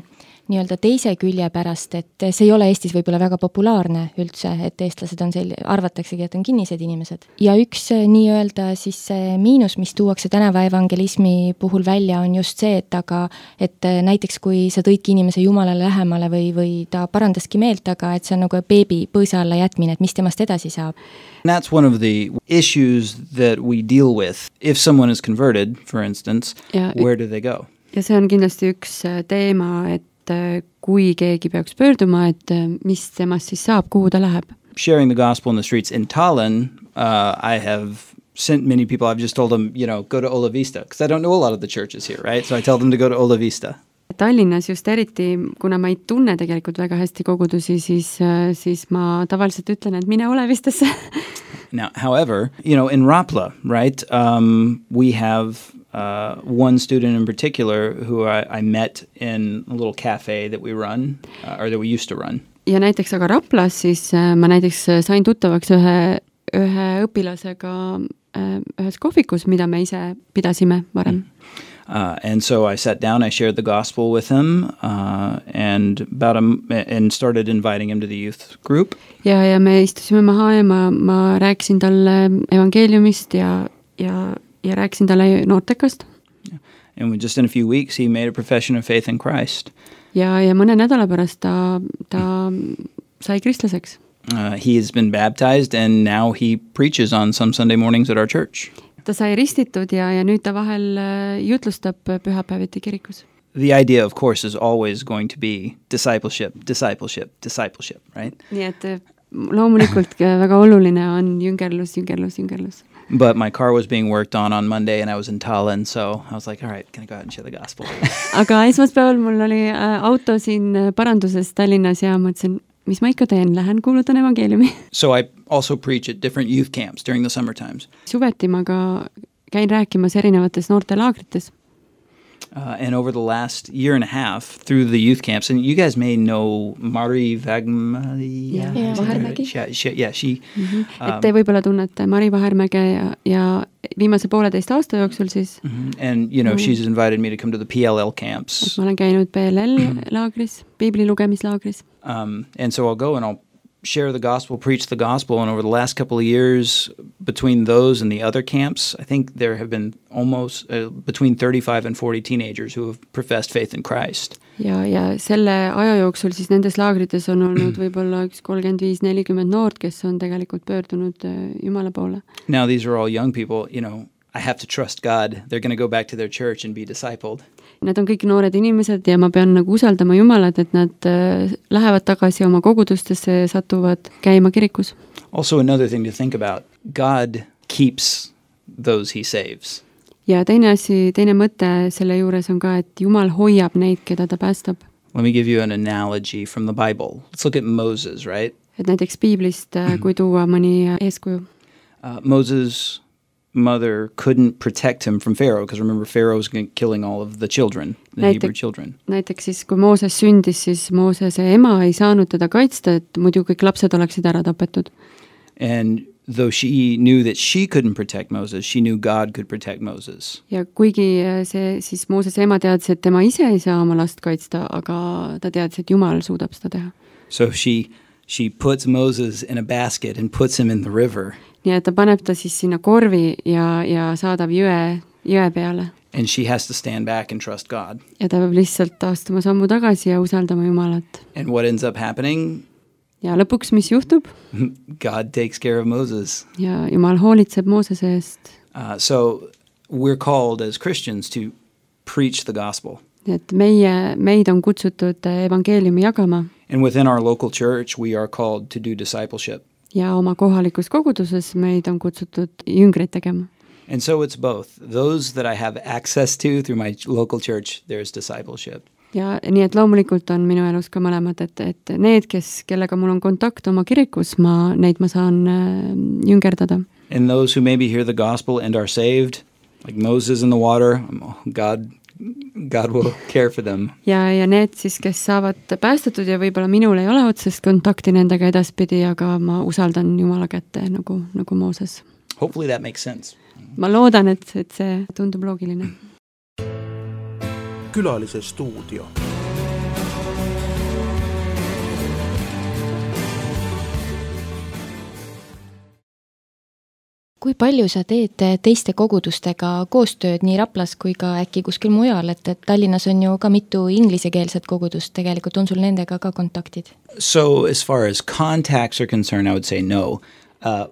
[SPEAKER 2] nii-öelda teise külje pärast, et see ei ole Eestis võib-olla väga populaarne üldse, et eestlased on arvataksegi, et on kinnised inimesed. Ja üks nii-öelda siis miinus, mis tuuakse tänava evangelismi puhul välja, on just see, et näiteks kui sa tõidki inimese Jumalale lähemale või ta parandaski meelt, aga et see on nagu beebi põõsa alla jätmine, et mis temast edasi saab.
[SPEAKER 3] That's one of the issues that we deal with. If someone is converted, for instance, where do they go?
[SPEAKER 4] Ja see on kindlasti üks teema, et kui keegi peaks pöörduma, et mis temast siis saab, kuhu ta läheb.
[SPEAKER 3] Sharing the gospel in the streets in Tallinn, I have sent many people, I've just told them, go to Ola Vista, because I don't know a lot of the churches here, right? So I tell them to go to Ola Vista.
[SPEAKER 4] Tallinnas just eriti, kuna ma ei tunne tegelikult väga hästi kogudusi, siis ma tavaliselt ütlen, et mine Ola Vistasse.
[SPEAKER 3] Now, however, in Rapla, right, we have one student in particular who I met in a little cafe that we run, or that we used to run.
[SPEAKER 4] Ja näiteks aga Raplas siis ma näiteks sain tuttavaks ühe õpilasega ühes kohvikus, mida me ise pidasime varem.
[SPEAKER 3] And so I sat down, I shared the gospel with him, and started inviting him to the youth group. Ja
[SPEAKER 4] me istusime maha ja ma rääkisin talle evangeeliumist ja rääkisin talle noortekast.
[SPEAKER 3] And just in a few weeks he made a profession of faith in Christ.
[SPEAKER 4] Ja mõne nädala pärast ta sai kristlaseks.
[SPEAKER 3] He has been baptized and now he preaches on some Sunday mornings at our church.
[SPEAKER 4] Ta sai ristitud ja nüüd ta vahel jutlustab pühapäeviti kirikus.
[SPEAKER 3] The idea, of course, is always going to be discipleship, right?
[SPEAKER 4] Nii et loomulikult väga oluline on jüngerlus.
[SPEAKER 3] But my car was being worked on Monday and I was in Tallinn, so I was like, all right, can I go out and share the gospel?
[SPEAKER 4] Aga esmaspäeval mul oli auto siin paranduses Tallinnas ja mõtlesin, mis ma ikka teen, lähen kuulutan evangeeliumi.
[SPEAKER 3] So I also preach at different youth camps during the summer times.
[SPEAKER 4] Suveti ma ka käin rääkimas erinevates noortelaagrites.
[SPEAKER 3] And over the last year and a half through the youth camps, and you guys may know Mari Vahermägi. Yeah, she.
[SPEAKER 4] Et te võib-olla tunnete Mari Vahermäge ja viimase 1,5 aasta jooksul siis.
[SPEAKER 3] And she's invited me to come to the PLL camps.
[SPEAKER 4] Ma olen käinud PLL laagris, Piibli lugemislaagris.
[SPEAKER 3] And so I'll go and I'll share the gospel, preach the gospel, and over the last couple of years between those and the other camps, I think there have been almost between 35 and 40 teenagers who have professed faith in Christ.
[SPEAKER 4] Ja selle aja jooksul siis nendes laagrites on olnud võib-olla 35-40 noort, kes on tegelikult pöördunud Jumala poole.
[SPEAKER 3] Now these are all young people, I have to trust God. They're going to go back to their church and be discipled.
[SPEAKER 4] Need on kõik noored inimesed ja ma pean nagu usaldama Jumalat, et nad lähevad tagasi oma kogudustesse, satuvad käima kirikus.
[SPEAKER 3] Also another thing to think about, God keeps those he saves.
[SPEAKER 4] Ja teine mõte selle juures on ka, et Jumal hoiab neid, keda ta päästab.
[SPEAKER 3] Let me give you an analogy from the Bible. Let's look at Moses, right?
[SPEAKER 4] Et näiteks Piiblist, kui tuua mõni eeskuju.
[SPEAKER 3] Moses' mother couldn't protect him from Pharaoh, because remember, Pharaoh was killing all of the children, the Hebrew children.
[SPEAKER 4] Näiteks siis, kui Mooses sündis, siis Moosese ema ei saanud teda kaitsta, et muidu kõik lapsed oleksid ära tapetud.
[SPEAKER 3] And though she knew that she couldn't protect Moses, she knew God could protect Moses.
[SPEAKER 4] Ja kuigi see siis Moosese ema teadis, et tema ise ei saa oma last kaitsta, aga ta teadis, et Jumal suudab seda teha.
[SPEAKER 3] So she puts Moses in a basket and puts him in the river.
[SPEAKER 4] Nii et ta paneb ta siis sinna korvi ja saadab jõe peale.
[SPEAKER 3] And she has to stand back and trust God.
[SPEAKER 4] Ja ta peab lihtsalt astuma sammu tagasi ja usaldama Jumalat.
[SPEAKER 3] And what ends up happening?
[SPEAKER 4] Ja lõpuks, mis juhtub?
[SPEAKER 3] God takes care of Moses.
[SPEAKER 4] Ja Jumal hoolitseb Moosese eest.
[SPEAKER 3] So we're called as Christians to preach the gospel.
[SPEAKER 4] Et meid on kutsutud evangeeliumi jagama.
[SPEAKER 3] And within our local church, we are called to do discipleship.
[SPEAKER 4] Ja oma kohalikus koguduses meid on kutsutud jüngreid tegema.
[SPEAKER 3] And so it's both. Those that I have access to through my local church, there's discipleship.
[SPEAKER 4] Ja nii et loomulikult on minu elus ka mõlemad, et need, kellega mul on kontakt oma kirikus, neid ma saan jüngerdada.
[SPEAKER 3] And those who maybe hear the gospel and are saved, like Moses in the water, God God will care for them.
[SPEAKER 4] ja need siis, kes saavad päästetud ja võib-olla minul ei ole otsest kontakti nendega edaspidi, aga ma usaldan Jumala kätte nagu Mooses.
[SPEAKER 3] Hopefully that makes sense.
[SPEAKER 4] Ma loodan, et see tundub loogiline.
[SPEAKER 1] Külalise stuudio.
[SPEAKER 2] Kui palju sa teed teiste kogudustega koostööd nii Raplas kui ka äkki kuskil mujal, et Tallinnas on ju ka mitu inglisekeelset kogudust, tegelikult on sul nendega ka kontaktid?
[SPEAKER 3] So as far as contacts are concerned, I would say no.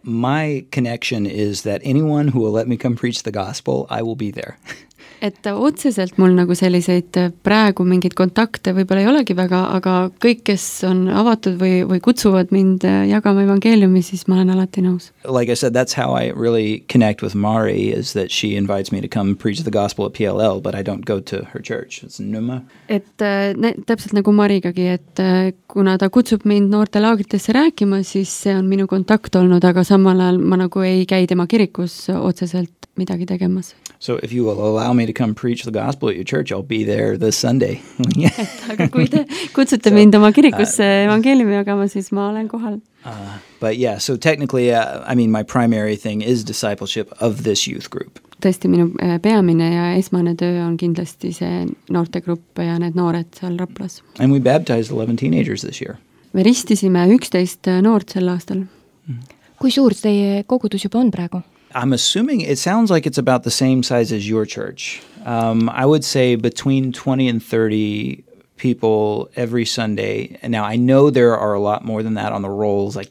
[SPEAKER 3] My connection is that anyone who will let me come preach the gospel, I will be there.
[SPEAKER 4] Et otseselt mul nagu selliseid praegu mingeid kontakte võib-olla ei olegi väga, aga kõik, kes on avatud või kutsuvad mind jagama evangeeliumi, siis ma olen alati nõus.
[SPEAKER 3] Like I said, that's how I really connect with Mari, is that she invites me to come preach the gospel at PLL, but I don't go to her church. It's Numa.
[SPEAKER 4] Et täpselt nagu Marigagi, et kuna ta kutsub mind noortelaagritesse rääkima, siis see on minu kontakt olnud, aga samal ajal ma nagu ei käi tema kirikus otseselt midagi tegemas.
[SPEAKER 3] So if you will allow me to come preach the gospel at your church, I'll be there this Sunday.
[SPEAKER 4] Aga kui te kutsute mind oma kirikusse evangeeliumi jagama, siis ma olen kohal.
[SPEAKER 3] But yeah, so technically, I mean, my primary thing is discipleship of this youth group.
[SPEAKER 4] Tõesti, minu peamine ja esmane töö on kindlasti see noortegrupp ja need noored seal Raplas.
[SPEAKER 3] And we baptized 11 teenagers this year.
[SPEAKER 4] Me ristisime 11 noort sel aastal.
[SPEAKER 2] Kui suur teie kogudus juba on praegu?
[SPEAKER 3] I'm assuming it sounds like it's about the same size as your church. I would say between 20 and 30 people every Sunday. And now I know there are a lot more than that on the rolls. I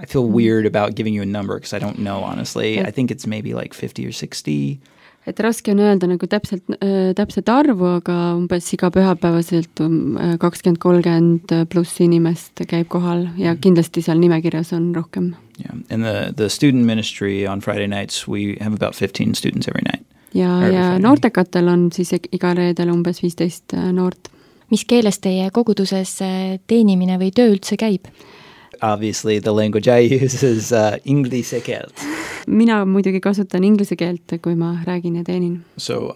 [SPEAKER 3] feel weird about giving you a number because I don't know, honestly. I think it's maybe like 50 or 60.
[SPEAKER 4] Et raske on öelda nagu täpselt arvu, aga umbes iga pühapäevaselt 20-30 pluss inimest käib kohal ja kindlasti seal nimekirjas on rohkem.
[SPEAKER 3] Yeah, and the student ministry on Friday nights, we have about 15 students every night.
[SPEAKER 4] Ja noortekatel on siis iga reedel umbes 15 noort.
[SPEAKER 2] Mis keeles teie koguduses teenimine või töö üldse käib?
[SPEAKER 3] Obviously the language I use is inglise keelt.
[SPEAKER 4] Mina muidugi kasutan inglise keelt, kui ma räägin ja teenin.
[SPEAKER 3] So,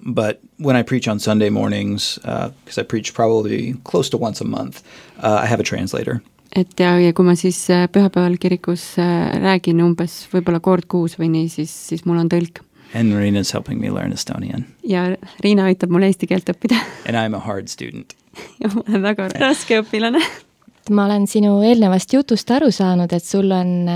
[SPEAKER 3] but when I preach on Sunday mornings, because I preach probably close to once a month, I have a translator.
[SPEAKER 4] Et ja kui ma siis pühapäeval kirikus räägin umbes võib-olla kord kuus või nii, siis mul on tõlk.
[SPEAKER 3] And Riina's helping me learn Estonian.
[SPEAKER 4] Ja Riina aitab mul eesti keelt õppida.
[SPEAKER 3] And I'm a hard student.
[SPEAKER 4] Ja ma olen väga raske õpilane.
[SPEAKER 2] Ma olen sinu eelnevast jutust aru saanud, et sul on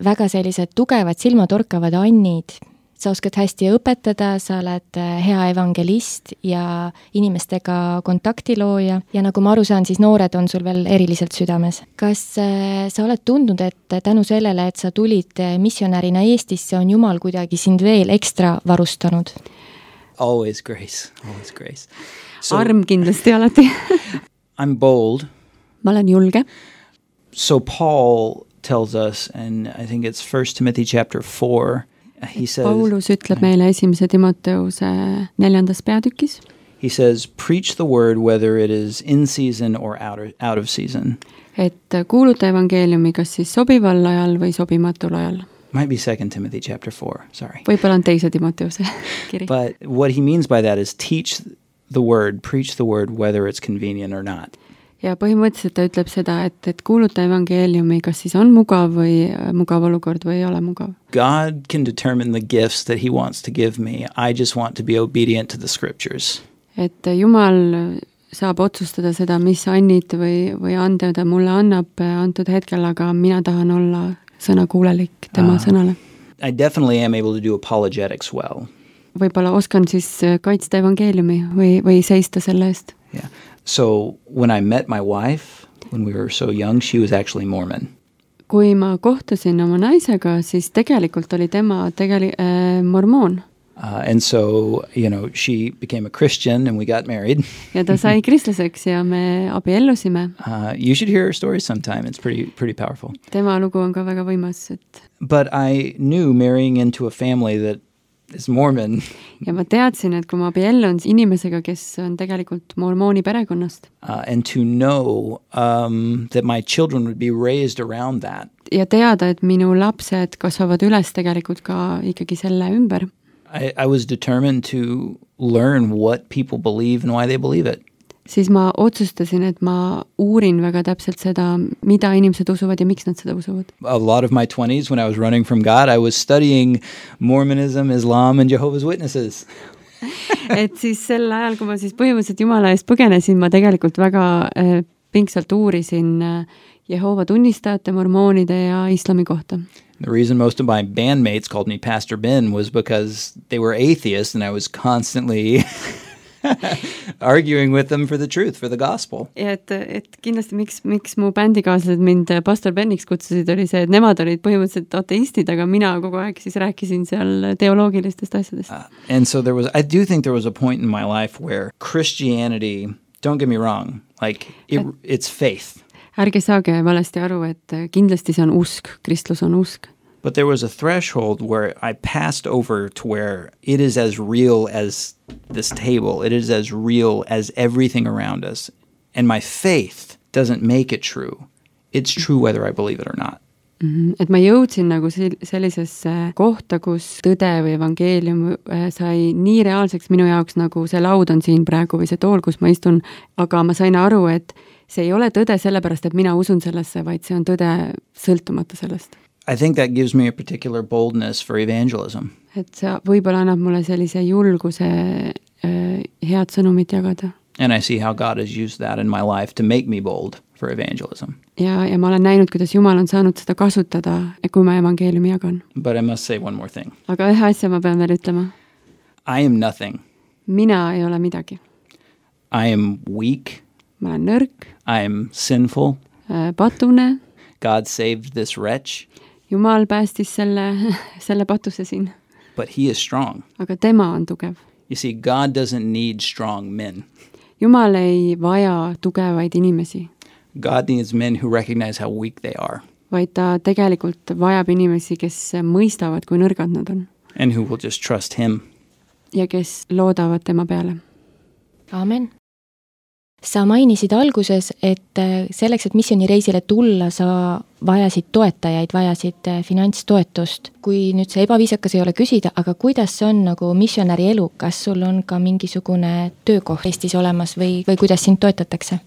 [SPEAKER 2] väga sellised tugevad silmatorkavad annid. Sa oskad hästi õpetada, sa oled hea evangelist ja inimestega kontaktilooja ja nagu ma aru saan, siis noored on sul veel eriliselt südames. Kas sa oled tundnud, et tänu sellele, et sa tulid missionärina Eestisse, on Jumal kuidagi sind veel ekstra varustanud?
[SPEAKER 3] Always grace, always grace.
[SPEAKER 4] So, arm kindlasti alati.
[SPEAKER 3] I'm bold.
[SPEAKER 4] Ma olen julge.
[SPEAKER 3] So Paul tells us, and I think it's 1 Timothy chapter 4, he says,
[SPEAKER 4] Paulus ütleb meile 1. Timoteuse 4. peatükis.
[SPEAKER 3] He says, preach the word whether it is in season or out of season.
[SPEAKER 4] Et kuuluta evangeeliumi kas siis sobival ajal või sobimatul ajal.
[SPEAKER 3] Might be 2 Timothy chapter 4, sorry.
[SPEAKER 4] Võib-olla on 2. Timoteuse kiri.
[SPEAKER 3] But what he means by that is teach the word, preach the word whether it's convenient or not.
[SPEAKER 4] Ja põhimõtteliselt ta ütleb seda, et kuuluta evangeeliumi, kas siis on mugav olukord või ei ole mugav.
[SPEAKER 3] God can determine the gifts that he wants to give me. I just want to be obedient to the scriptures.
[SPEAKER 4] Et Jumal saab otsustada seda, mis annid või ande ta mulle annab antud hetkel, aga mina tahan olla sõnakuulelik tema sõnale.
[SPEAKER 3] I definitely am able to do apologetics well.
[SPEAKER 4] Võib-olla oskan siis kaitsta evangeeliumi või seista selle eest.
[SPEAKER 3] Yeah. So when I met my wife, when we were so young, she was actually Mormon.
[SPEAKER 4] Kui ma kohtusin oma naisega, siis tegelikult oli tema mormoon.
[SPEAKER 3] And so, she became a Christian and we got married.
[SPEAKER 4] Ja ta sai kristlaseks ja me abiellusime.
[SPEAKER 3] You should hear her story sometime. It's pretty powerful.
[SPEAKER 4] Tema lugu on ka väga võimas.
[SPEAKER 3] But I knew marrying into a family that is Mormon.
[SPEAKER 4] Ja ma teadsin, et kui ma abiellun inimesega, kes on tegelikult mormooni perekonnast.
[SPEAKER 3] And to know that my children would be raised around that.
[SPEAKER 4] Ja teada, et minu lapsed kasvavad üles tegelikult ka ikkagi selle ümber.
[SPEAKER 3] I was determined to learn what people believe and why they believe it.
[SPEAKER 4] Siis ma otsustasin, et ma uurin väga täpselt seda, mida inimesed usuvad ja miks nad seda usuvad.
[SPEAKER 3] A lot of my 20s when I was running from God, I was studying Mormonism, Islam and Jehovah's Witnesses.
[SPEAKER 4] Et siis sel ajal, kui ma siis põhimõtteliselt Jumala eest põgenesin, ma tegelikult väga pingsalt uurisin Jehova tunnistajate, mormoonide ja islami kohta.
[SPEAKER 3] The reason most of my bandmates called me Pastor Ben was because they were atheists and I was constantly arguing with them for the truth, for the gospel.
[SPEAKER 4] Ja et kindlasti miks mu bändikaaslased mind Pastor Beniks kutsusid, oli see, et nemad olid põhimõtteliselt ateistid, aga mina kogu aeg siis rääkisin seal teoloogilistest asjadest.
[SPEAKER 3] And so I do think there was a point in my life where Christianity, don't get me wrong, like it's faith.
[SPEAKER 4] Ärge saage valesti aru, et kindlasti see on usk, kristlus on usk.
[SPEAKER 3] But there was a threshold where I passed over to where it is as real as this table. It is as real as everything around us. And my faith doesn't make it true. It's true whether I believe it or not.
[SPEAKER 4] Et ma jõudsin nagu sellisesse kohta, kus tõde või evangeelium sai nii reaalseks minu jaoks, nagu see laud on siin praegu või see tool, kus ma istun, aga ma sain aru, et see ei ole tõde sellepärast, et mina usun sellesse, vaid see on tõde sõltumata sellest.
[SPEAKER 3] I think that gives me a particular boldness for evangelism.
[SPEAKER 4] Et see võib-olla annab mulle sellise julguse head sõnumit jagada.
[SPEAKER 3] And I see how God has used that in my life to make me bold for evangelism.
[SPEAKER 4] Ja ma olen näinud, kuidas Jumal on saanud seda kasutada, kui ma evangeeliumi jagan.
[SPEAKER 3] But I must say one more thing.
[SPEAKER 4] Aga ühe asja ma pean veel ütlema.
[SPEAKER 3] I am nothing.
[SPEAKER 4] Mina ei ole midagi.
[SPEAKER 3] I am weak.
[SPEAKER 4] Ma olen nõrk.
[SPEAKER 3] I am sinful.
[SPEAKER 4] Patune.
[SPEAKER 3] God saved this wretch.
[SPEAKER 4] Jumal päästis selle patuse siin.
[SPEAKER 3] But he is strong.
[SPEAKER 4] Aga tema on tugev.
[SPEAKER 3] You see, God doesn't need strong men.
[SPEAKER 4] Jumal ei vaja tugevaid inimesi.
[SPEAKER 3] God needs men who recognize how weak they are.
[SPEAKER 4] Vaid ta tegelikult vajab inimesi, kes mõistavad, kui nõrgad nad on.
[SPEAKER 3] And who will just trust him.
[SPEAKER 4] Ja kes loodavad tema peale.
[SPEAKER 2] Amen. Sa mainisid alguses, et selleks, et missioonireisile tulla, sa vajasid toetajaid, vajasid finantstoetust. Kui nüüd see ebaviisakas ei ole küsida, aga kuidas see on nagu missionäri elu? Kas sul on ka mingisugune töökoht Eestis olemas või kuidas sind toetatakse?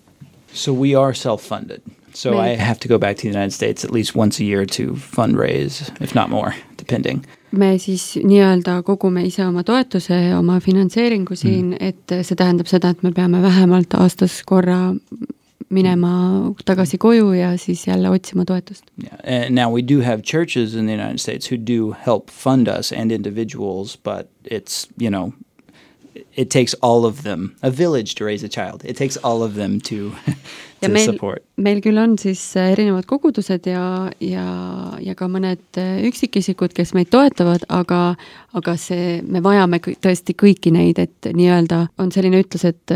[SPEAKER 3] So we are self-funded. So I have to go back to the United States at least once a year to fundraise, if not more, depending.
[SPEAKER 4] Me siis nii-öelda kogume ise oma toetuse, oma finantseeringu siin, et see tähendab seda, et me peame vähemalt aastas korra minema tagasi koju ja siis jälle otsima toetust.
[SPEAKER 3] Yeah. And now we do have churches in the United States who do help fund us and individuals, but it's, it takes all of them, a village to raise a child. It takes all of them to support.
[SPEAKER 4] Meil küll on siis erinevad kogudused ja ka mõned üksikisikud, kes meid toetavad, aga me vajame tõesti kõiki neid, et nii-öelda on selline ütlus, et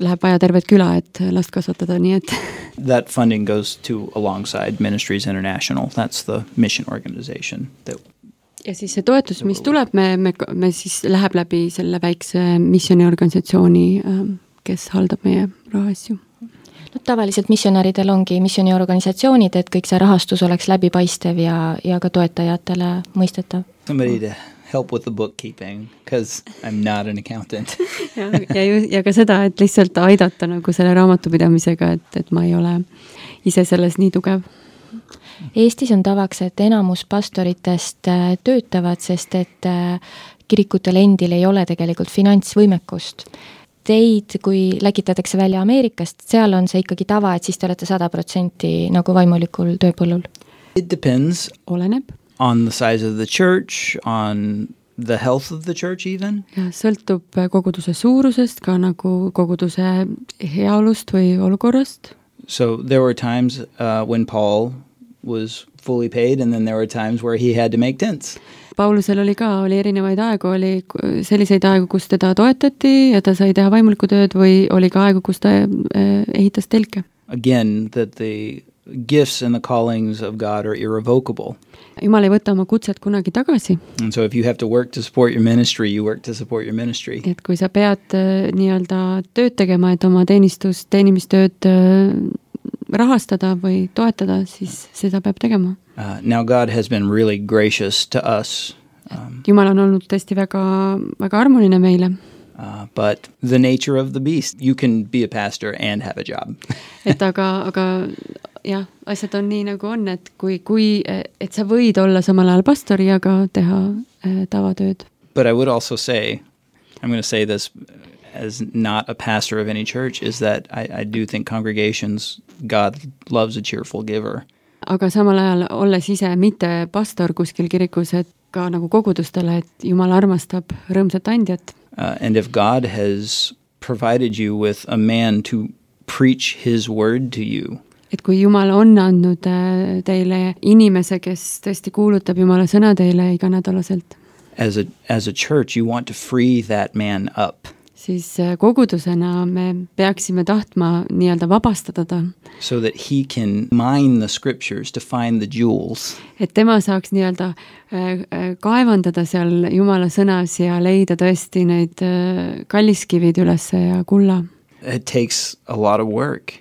[SPEAKER 4] läheb vaja tervet küla, et last kasvatada, nii et
[SPEAKER 3] That funding goes to alongside Ministries International. That's the mission organization that
[SPEAKER 4] ja siis see toetus, mis tuleb, me siis läheb läbi selle väikse missiooniorganisatsiooni, kes haldab meie rahaasju.
[SPEAKER 2] No, tavaliselt missionäridel ongi missiooniorganisatsioonid, et kõik see rahastus oleks läbipaistev ja ka toetajatele mõistetav.
[SPEAKER 3] Somebody to help with the bookkeeping, because I'm not an accountant.
[SPEAKER 4] ja ka seda, et lihtsalt aidata nagu selle raamatupidamisega, et ma ei ole ise selles nii tugev.
[SPEAKER 2] Eestis on tavaks, et enamus pastoritest töötavad, sest et kirikutel endil ei ole tegelikult finantsvõimekust. Teid, kui läkitatakse välja Ameerikast, seal on see ikkagi tava, et siis te olete 100% nagu vaimulikul tööpõllul?
[SPEAKER 3] It depends.
[SPEAKER 4] Oleneb.
[SPEAKER 3] On the size of the church, on the health of the church even.
[SPEAKER 4] Ja sõltub koguduse suurusest, ka nagu koguduse heaolust või olukorrast.
[SPEAKER 3] So there were times when Paul was fully paid and then there were times where he had to make tents.
[SPEAKER 4] Paulusel oli erinevaid aegu, oli selliseid aegu, kus teda toetati ja ta sai teha vaimulikku tööd või oli ka aegu, kus ta ehitas telke.
[SPEAKER 3] Again, that the gifts and the callings of God are irrevocable.
[SPEAKER 4] Jumal ei võta oma kutset kunagi tagasi.
[SPEAKER 3] And so if you have to work to support your ministry, you work to support your ministry.
[SPEAKER 4] Et kui sa pead nii-öelda tööd tegema, et oma teenimistööd rahastada või toetada, siis seda peab tegema.
[SPEAKER 3] Now God has been really gracious to us
[SPEAKER 4] Jumal on olnud tõesti väga, väga armuline meile.
[SPEAKER 3] But the nature of the beast, you can be a pastor and have a job.
[SPEAKER 4] aga jah, asjad on nii nagu on, et et sa võid olla samal ajal pastor ja ka teha tavatööd.
[SPEAKER 3] But I would also say, I'm going to say this as not a pastor of any church, is that I do think congregations, God loves a cheerful giver.
[SPEAKER 4] Aga samal ajal olles ise mitte pastor kuskil kirikus, et ka nagu kogudustele, et Jumal armastab rõõmsat andjat.
[SPEAKER 3] And if God has provided you with a man to preach his word to you,
[SPEAKER 4] et kui Jumal on andnud teile inimese, kes tõesti kuulutab Jumala sõna teile iganädalaselt,
[SPEAKER 3] as a church, you want to free that man up.
[SPEAKER 4] Siis kogudusena me peaksime tahtma nii-öelda vabastada ta.
[SPEAKER 3] So that he can mine the scriptures to find the jewels.
[SPEAKER 4] Et tema saaks nii-öelda kaevandada seal Jumala sõnas ja leida tõesti neid kalliskivid ülesse ja kulla.
[SPEAKER 3] It takes a lot of work.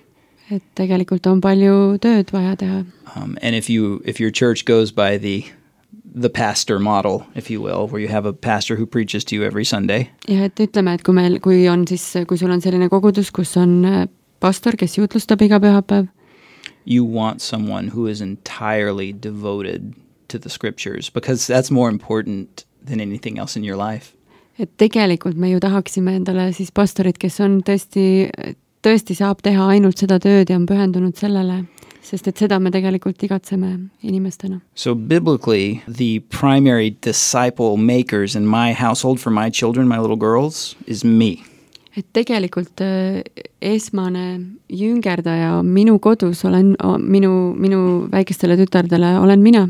[SPEAKER 4] Et tegelikult on palju tööd vaja teha.
[SPEAKER 3] And if your church goes by the pastor model, if you will, where you have a pastor who preaches to you every Sunday.
[SPEAKER 4] Ja et ütleme, et kui sul on selline kogudus, kus on pastor, kes jutlustab iga pühapäev.
[SPEAKER 3] You want someone who is entirely devoted to the scriptures, because that's more important than anything else in your life.
[SPEAKER 4] Et tegelikult me ju tahaksime endale siis pastorit, kes on tõesti saab teha ainult seda tööd ja on pühendunud sellele. Sest et seda me tegelikult igatseme inimestena.
[SPEAKER 3] So biblically, the primary disciple makers in my household for my children, my little girls, is me.
[SPEAKER 4] Et tegelikult esmane jüngerdaja minu kodus olen minu väikestele tütardele olen mina.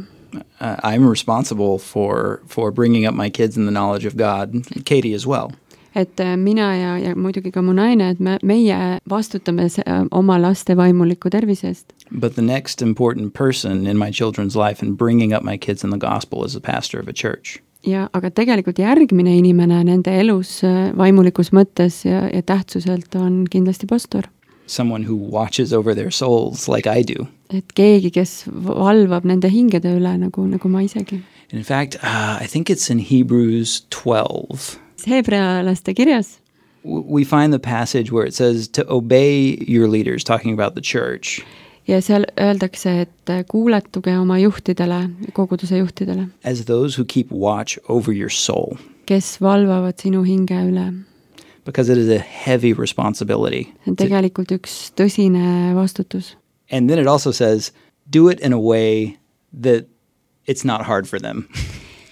[SPEAKER 3] I'm responsible for bringing up my kids in the knowledge of God, Katie as well.
[SPEAKER 4] Et mina ja muidugi ka mu naine, et meie vastutame oma laste vaimuliku tervise eest.
[SPEAKER 3] But the next important person in my children's life in bringing up my kids in the gospel is the pastor of a church.
[SPEAKER 4] Ja, aga tegelikult järgmine inimene nende elus vaimulikus mõttes ja tähtsuselt on kindlasti pastor.
[SPEAKER 3] Someone who watches over their souls like I do.
[SPEAKER 4] Et keegi, kes valvab nende hingede üle nagu ma isegi.
[SPEAKER 3] In fact, I think it's in Hebrews 12.
[SPEAKER 4] Hebrealaste kirjas.
[SPEAKER 3] We find the passage where it says to obey your leaders, talking about the church.
[SPEAKER 4] Ja seal öeldakse, et kuuletuge oma juhtidele, koguduse juhtidele.
[SPEAKER 3] As those who keep watch over your soul.
[SPEAKER 4] Kes valvavad sinu hinge üle.
[SPEAKER 3] Because it is a heavy responsibility.
[SPEAKER 4] See on tegelikult üks tõsine vastutus.
[SPEAKER 3] And then it also says, do it in a way that it's not hard for them.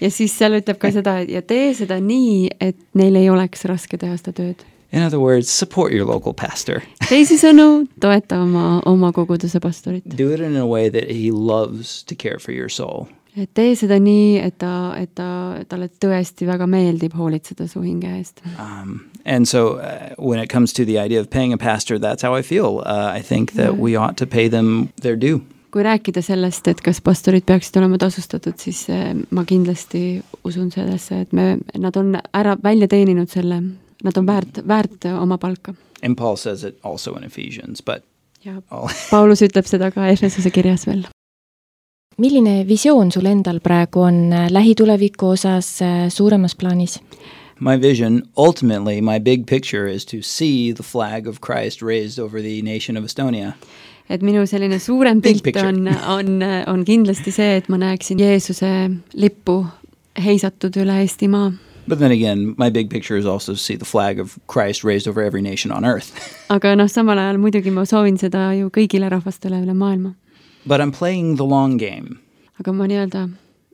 [SPEAKER 4] Ja siis seal ütleb ka seda, ja tee seda nii, et neil ei oleks raske teha seda tööd.
[SPEAKER 3] In other words, support your local pastor.
[SPEAKER 4] Teisisõnu, toeta oma koguduse pastorit.
[SPEAKER 3] Do it in a way that he loves to care for your soul.
[SPEAKER 4] Et tee seda nii, et talle tõesti väga meeldib hoolitseda su hinge eest.
[SPEAKER 3] And so when it comes to the idea of paying a pastor, that's how I feel. I think that we ought to pay them their due.
[SPEAKER 4] Kui rääkida sellest, et kas pastorid peaksid olema tasustatud, siis ma kindlasti usun sellesse, et nad on ära välja teeninud selle, nad on väärt oma palka.
[SPEAKER 3] And Paul says it also in Ephesians, but...
[SPEAKER 4] Ja Paulus ütleb seda ka Efesuse kirjas veel.
[SPEAKER 2] Milline visioon sul endal praegu on lähituleviku osas suuremas plaanis?
[SPEAKER 3] My vision, ultimately, my big picture is to see the flag of Christ raised over the nation of Estonia.
[SPEAKER 4] Et minu selline suurem pilt on kindlasti see, et ma näeksin Jeesuse lippu heisatud üle Eestimaa.
[SPEAKER 3] But then again, my big picture is also to see the flag of Christ raised over every nation on earth.
[SPEAKER 4] Aga samal ajal muidugi ma soovin seda ju kõigile rahvastele üle maailma.
[SPEAKER 3] But I'm playing the long game.
[SPEAKER 4] Aga ma nii-öelda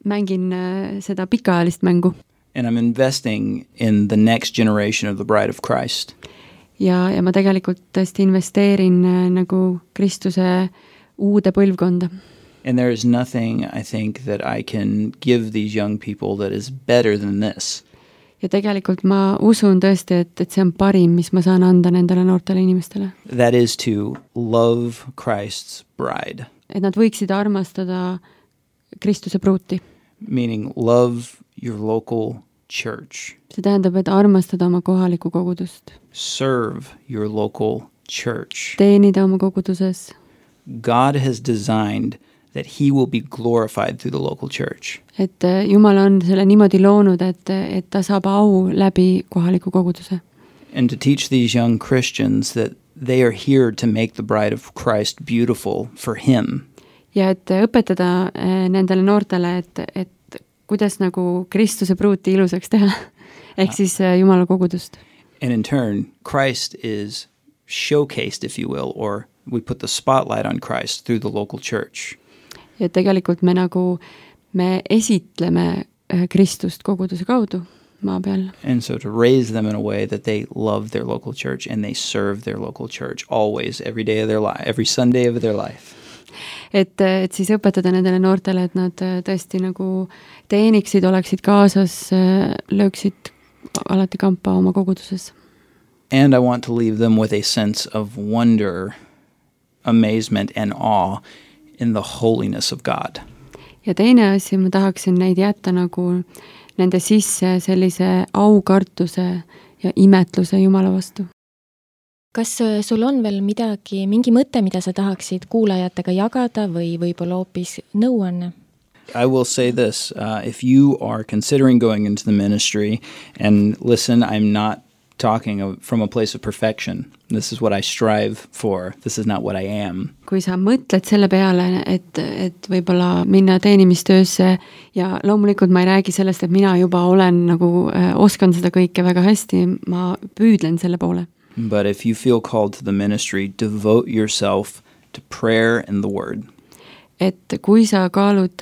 [SPEAKER 4] mängin seda pikaajalist mängu.
[SPEAKER 3] And I'm investing in the next generation of the bride of Christ.
[SPEAKER 4] Ja ma tegelikult tõesti investeerin nagu Kristuse uude põlvkonda.
[SPEAKER 3] And there is nothing, I think, that I can give these young people that is better than this.
[SPEAKER 4] Ja tegelikult ma usun tõesti, et see on parim, mis ma saan anda nendele noortele inimestele.
[SPEAKER 3] That is to love Christ's bride.
[SPEAKER 4] Et nad võiksid armastada Kristuse pruuti.
[SPEAKER 3] Meaning love your local church.
[SPEAKER 4] See tähendab, et armastada oma kohalikku kogudust.
[SPEAKER 3] Serve your local church.
[SPEAKER 4] Teenida oma koguduses.
[SPEAKER 3] God has designed that he will be glorified through the local church.
[SPEAKER 4] et Jumal on selle niimoodi loonud, et ta saab au läbi kohaliku koguduse.
[SPEAKER 3] And to teach these young Christians that they are here to make the bride of Christ beautiful for him.
[SPEAKER 4] Ja et õpetada nendele noortele, et kuidas nagu Kristuse pruuti ilusaks teha, ehk siis Jumala kogudust.
[SPEAKER 3] And in turn, Christ is showcased, if you will, or we put the spotlight on Christ through the local church.
[SPEAKER 4] Ja tegelikult me esitleme Kristust koguduse kaudu maa peal.
[SPEAKER 3] And so to raise them in a way that they love their local church and they serve their local church always, every day of their life, every Sunday of their life.
[SPEAKER 4] Et siis õpetada nendele noortele, et nad tõesti nagu teeniksid, oleksid kaasas, lööksid alati kampa oma koguduses.
[SPEAKER 3] And I want to leave them with a sense of wonder, amazement and awe in the holiness of God.
[SPEAKER 4] Ja teine asi, ma tahaksin neid jätta nagu nende sisse sellise aukartuse ja imetluse Jumala vastu.
[SPEAKER 2] Kas sul on veel mingi mõte, mida sa tahaksid kuulajatega jagada või võib-olla hoopis nõuanne?
[SPEAKER 3] I will say this, if you are considering going into the ministry, and listen, I'm not talking from a place of perfection. This is what I strive for. This is not what I am.
[SPEAKER 4] Kui sa mõtled selle peale, et võib-olla minna teenimistöösse ja loomulikult ma ei räägi sellest, et mina juba olen nagu oskan seda kõike väga hästi, ma püüdlen selle poole.
[SPEAKER 3] But if you feel called to the ministry, devote yourself to prayer and the word.
[SPEAKER 4] Et kui sa kaalud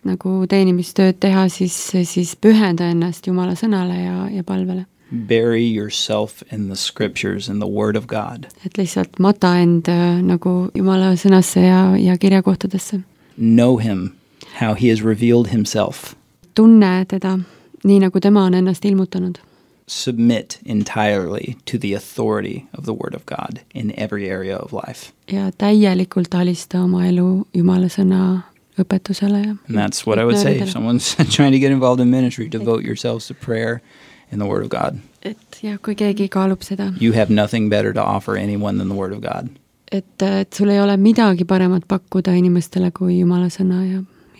[SPEAKER 4] nagu teenimistööd teha, siis pühenda ennast Jumala sõnale ja palvele.
[SPEAKER 3] Bury yourself in the scriptures and the word of God.
[SPEAKER 4] Et lihtsalt mata end nagu Jumala sõnasse ja kirjakohtadesse.
[SPEAKER 3] Know him, how he has revealed himself.
[SPEAKER 4] Tunne teda, nii nagu tema on ennast ilmutanud.
[SPEAKER 3] Submit entirely to the authority of the word of God in every area of life.
[SPEAKER 4] Ja täielikult alista oma elu Jumala sõna õpetusele.
[SPEAKER 3] And that's what I would say. If someone's trying to get involved in ministry, devote yourselves to prayer and the word of God.
[SPEAKER 4] Et ja kui keegi kaalub seda.
[SPEAKER 3] You have nothing better to offer anyone than the word of God.
[SPEAKER 4] Et sul ei ole midagi paremat pakkuda inimestele kui Jumala sõna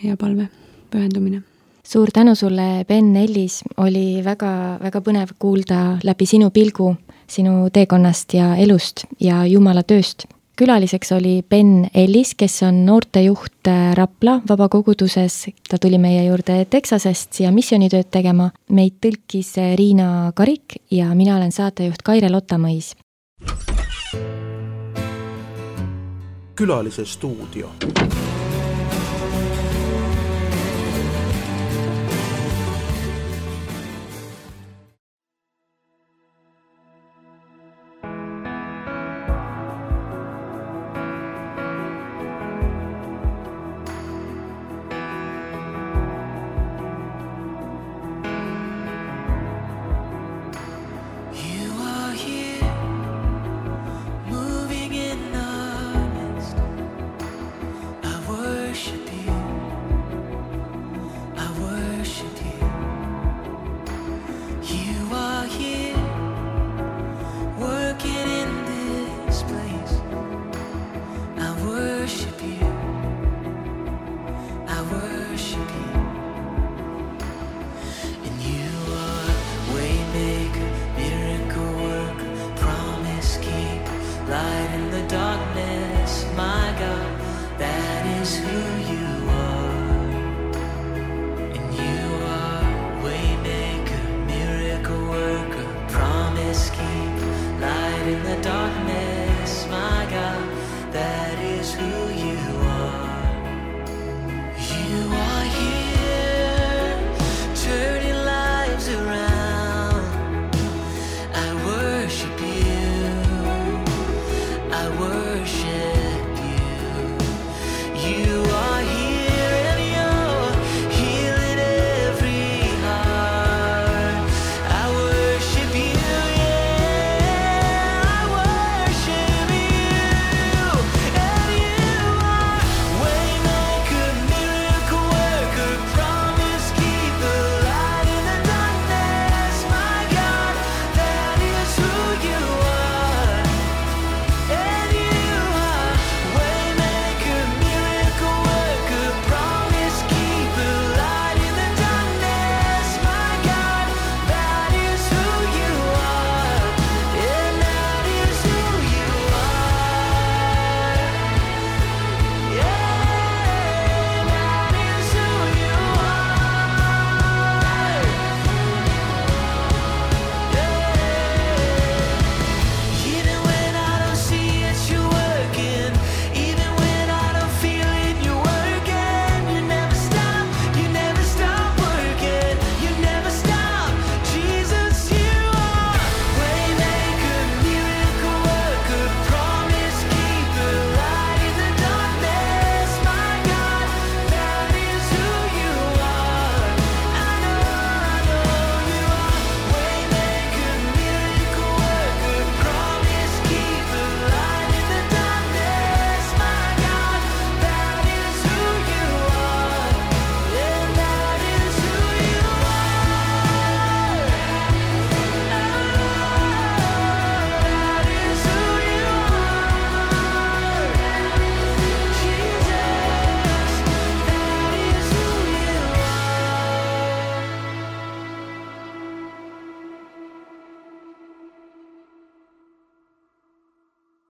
[SPEAKER 4] ja palve, pühendumine.
[SPEAKER 2] Suur tänu sulle, Ben Ellis, oli väga, väga põnev kuulda läbi sinu pilgu, sinu teekonnast ja elust ja Jumala tööst. Külaliseks oli Ben Ellis, kes on noortejuht Rapla vabakoguduses. Ta tuli meie juurde Texasest siia missioonitööd tegema. Meid tõlkis Riina Karik ja mina olen saatejuht Kaire Lottamõis.
[SPEAKER 1] Külalise stuudio.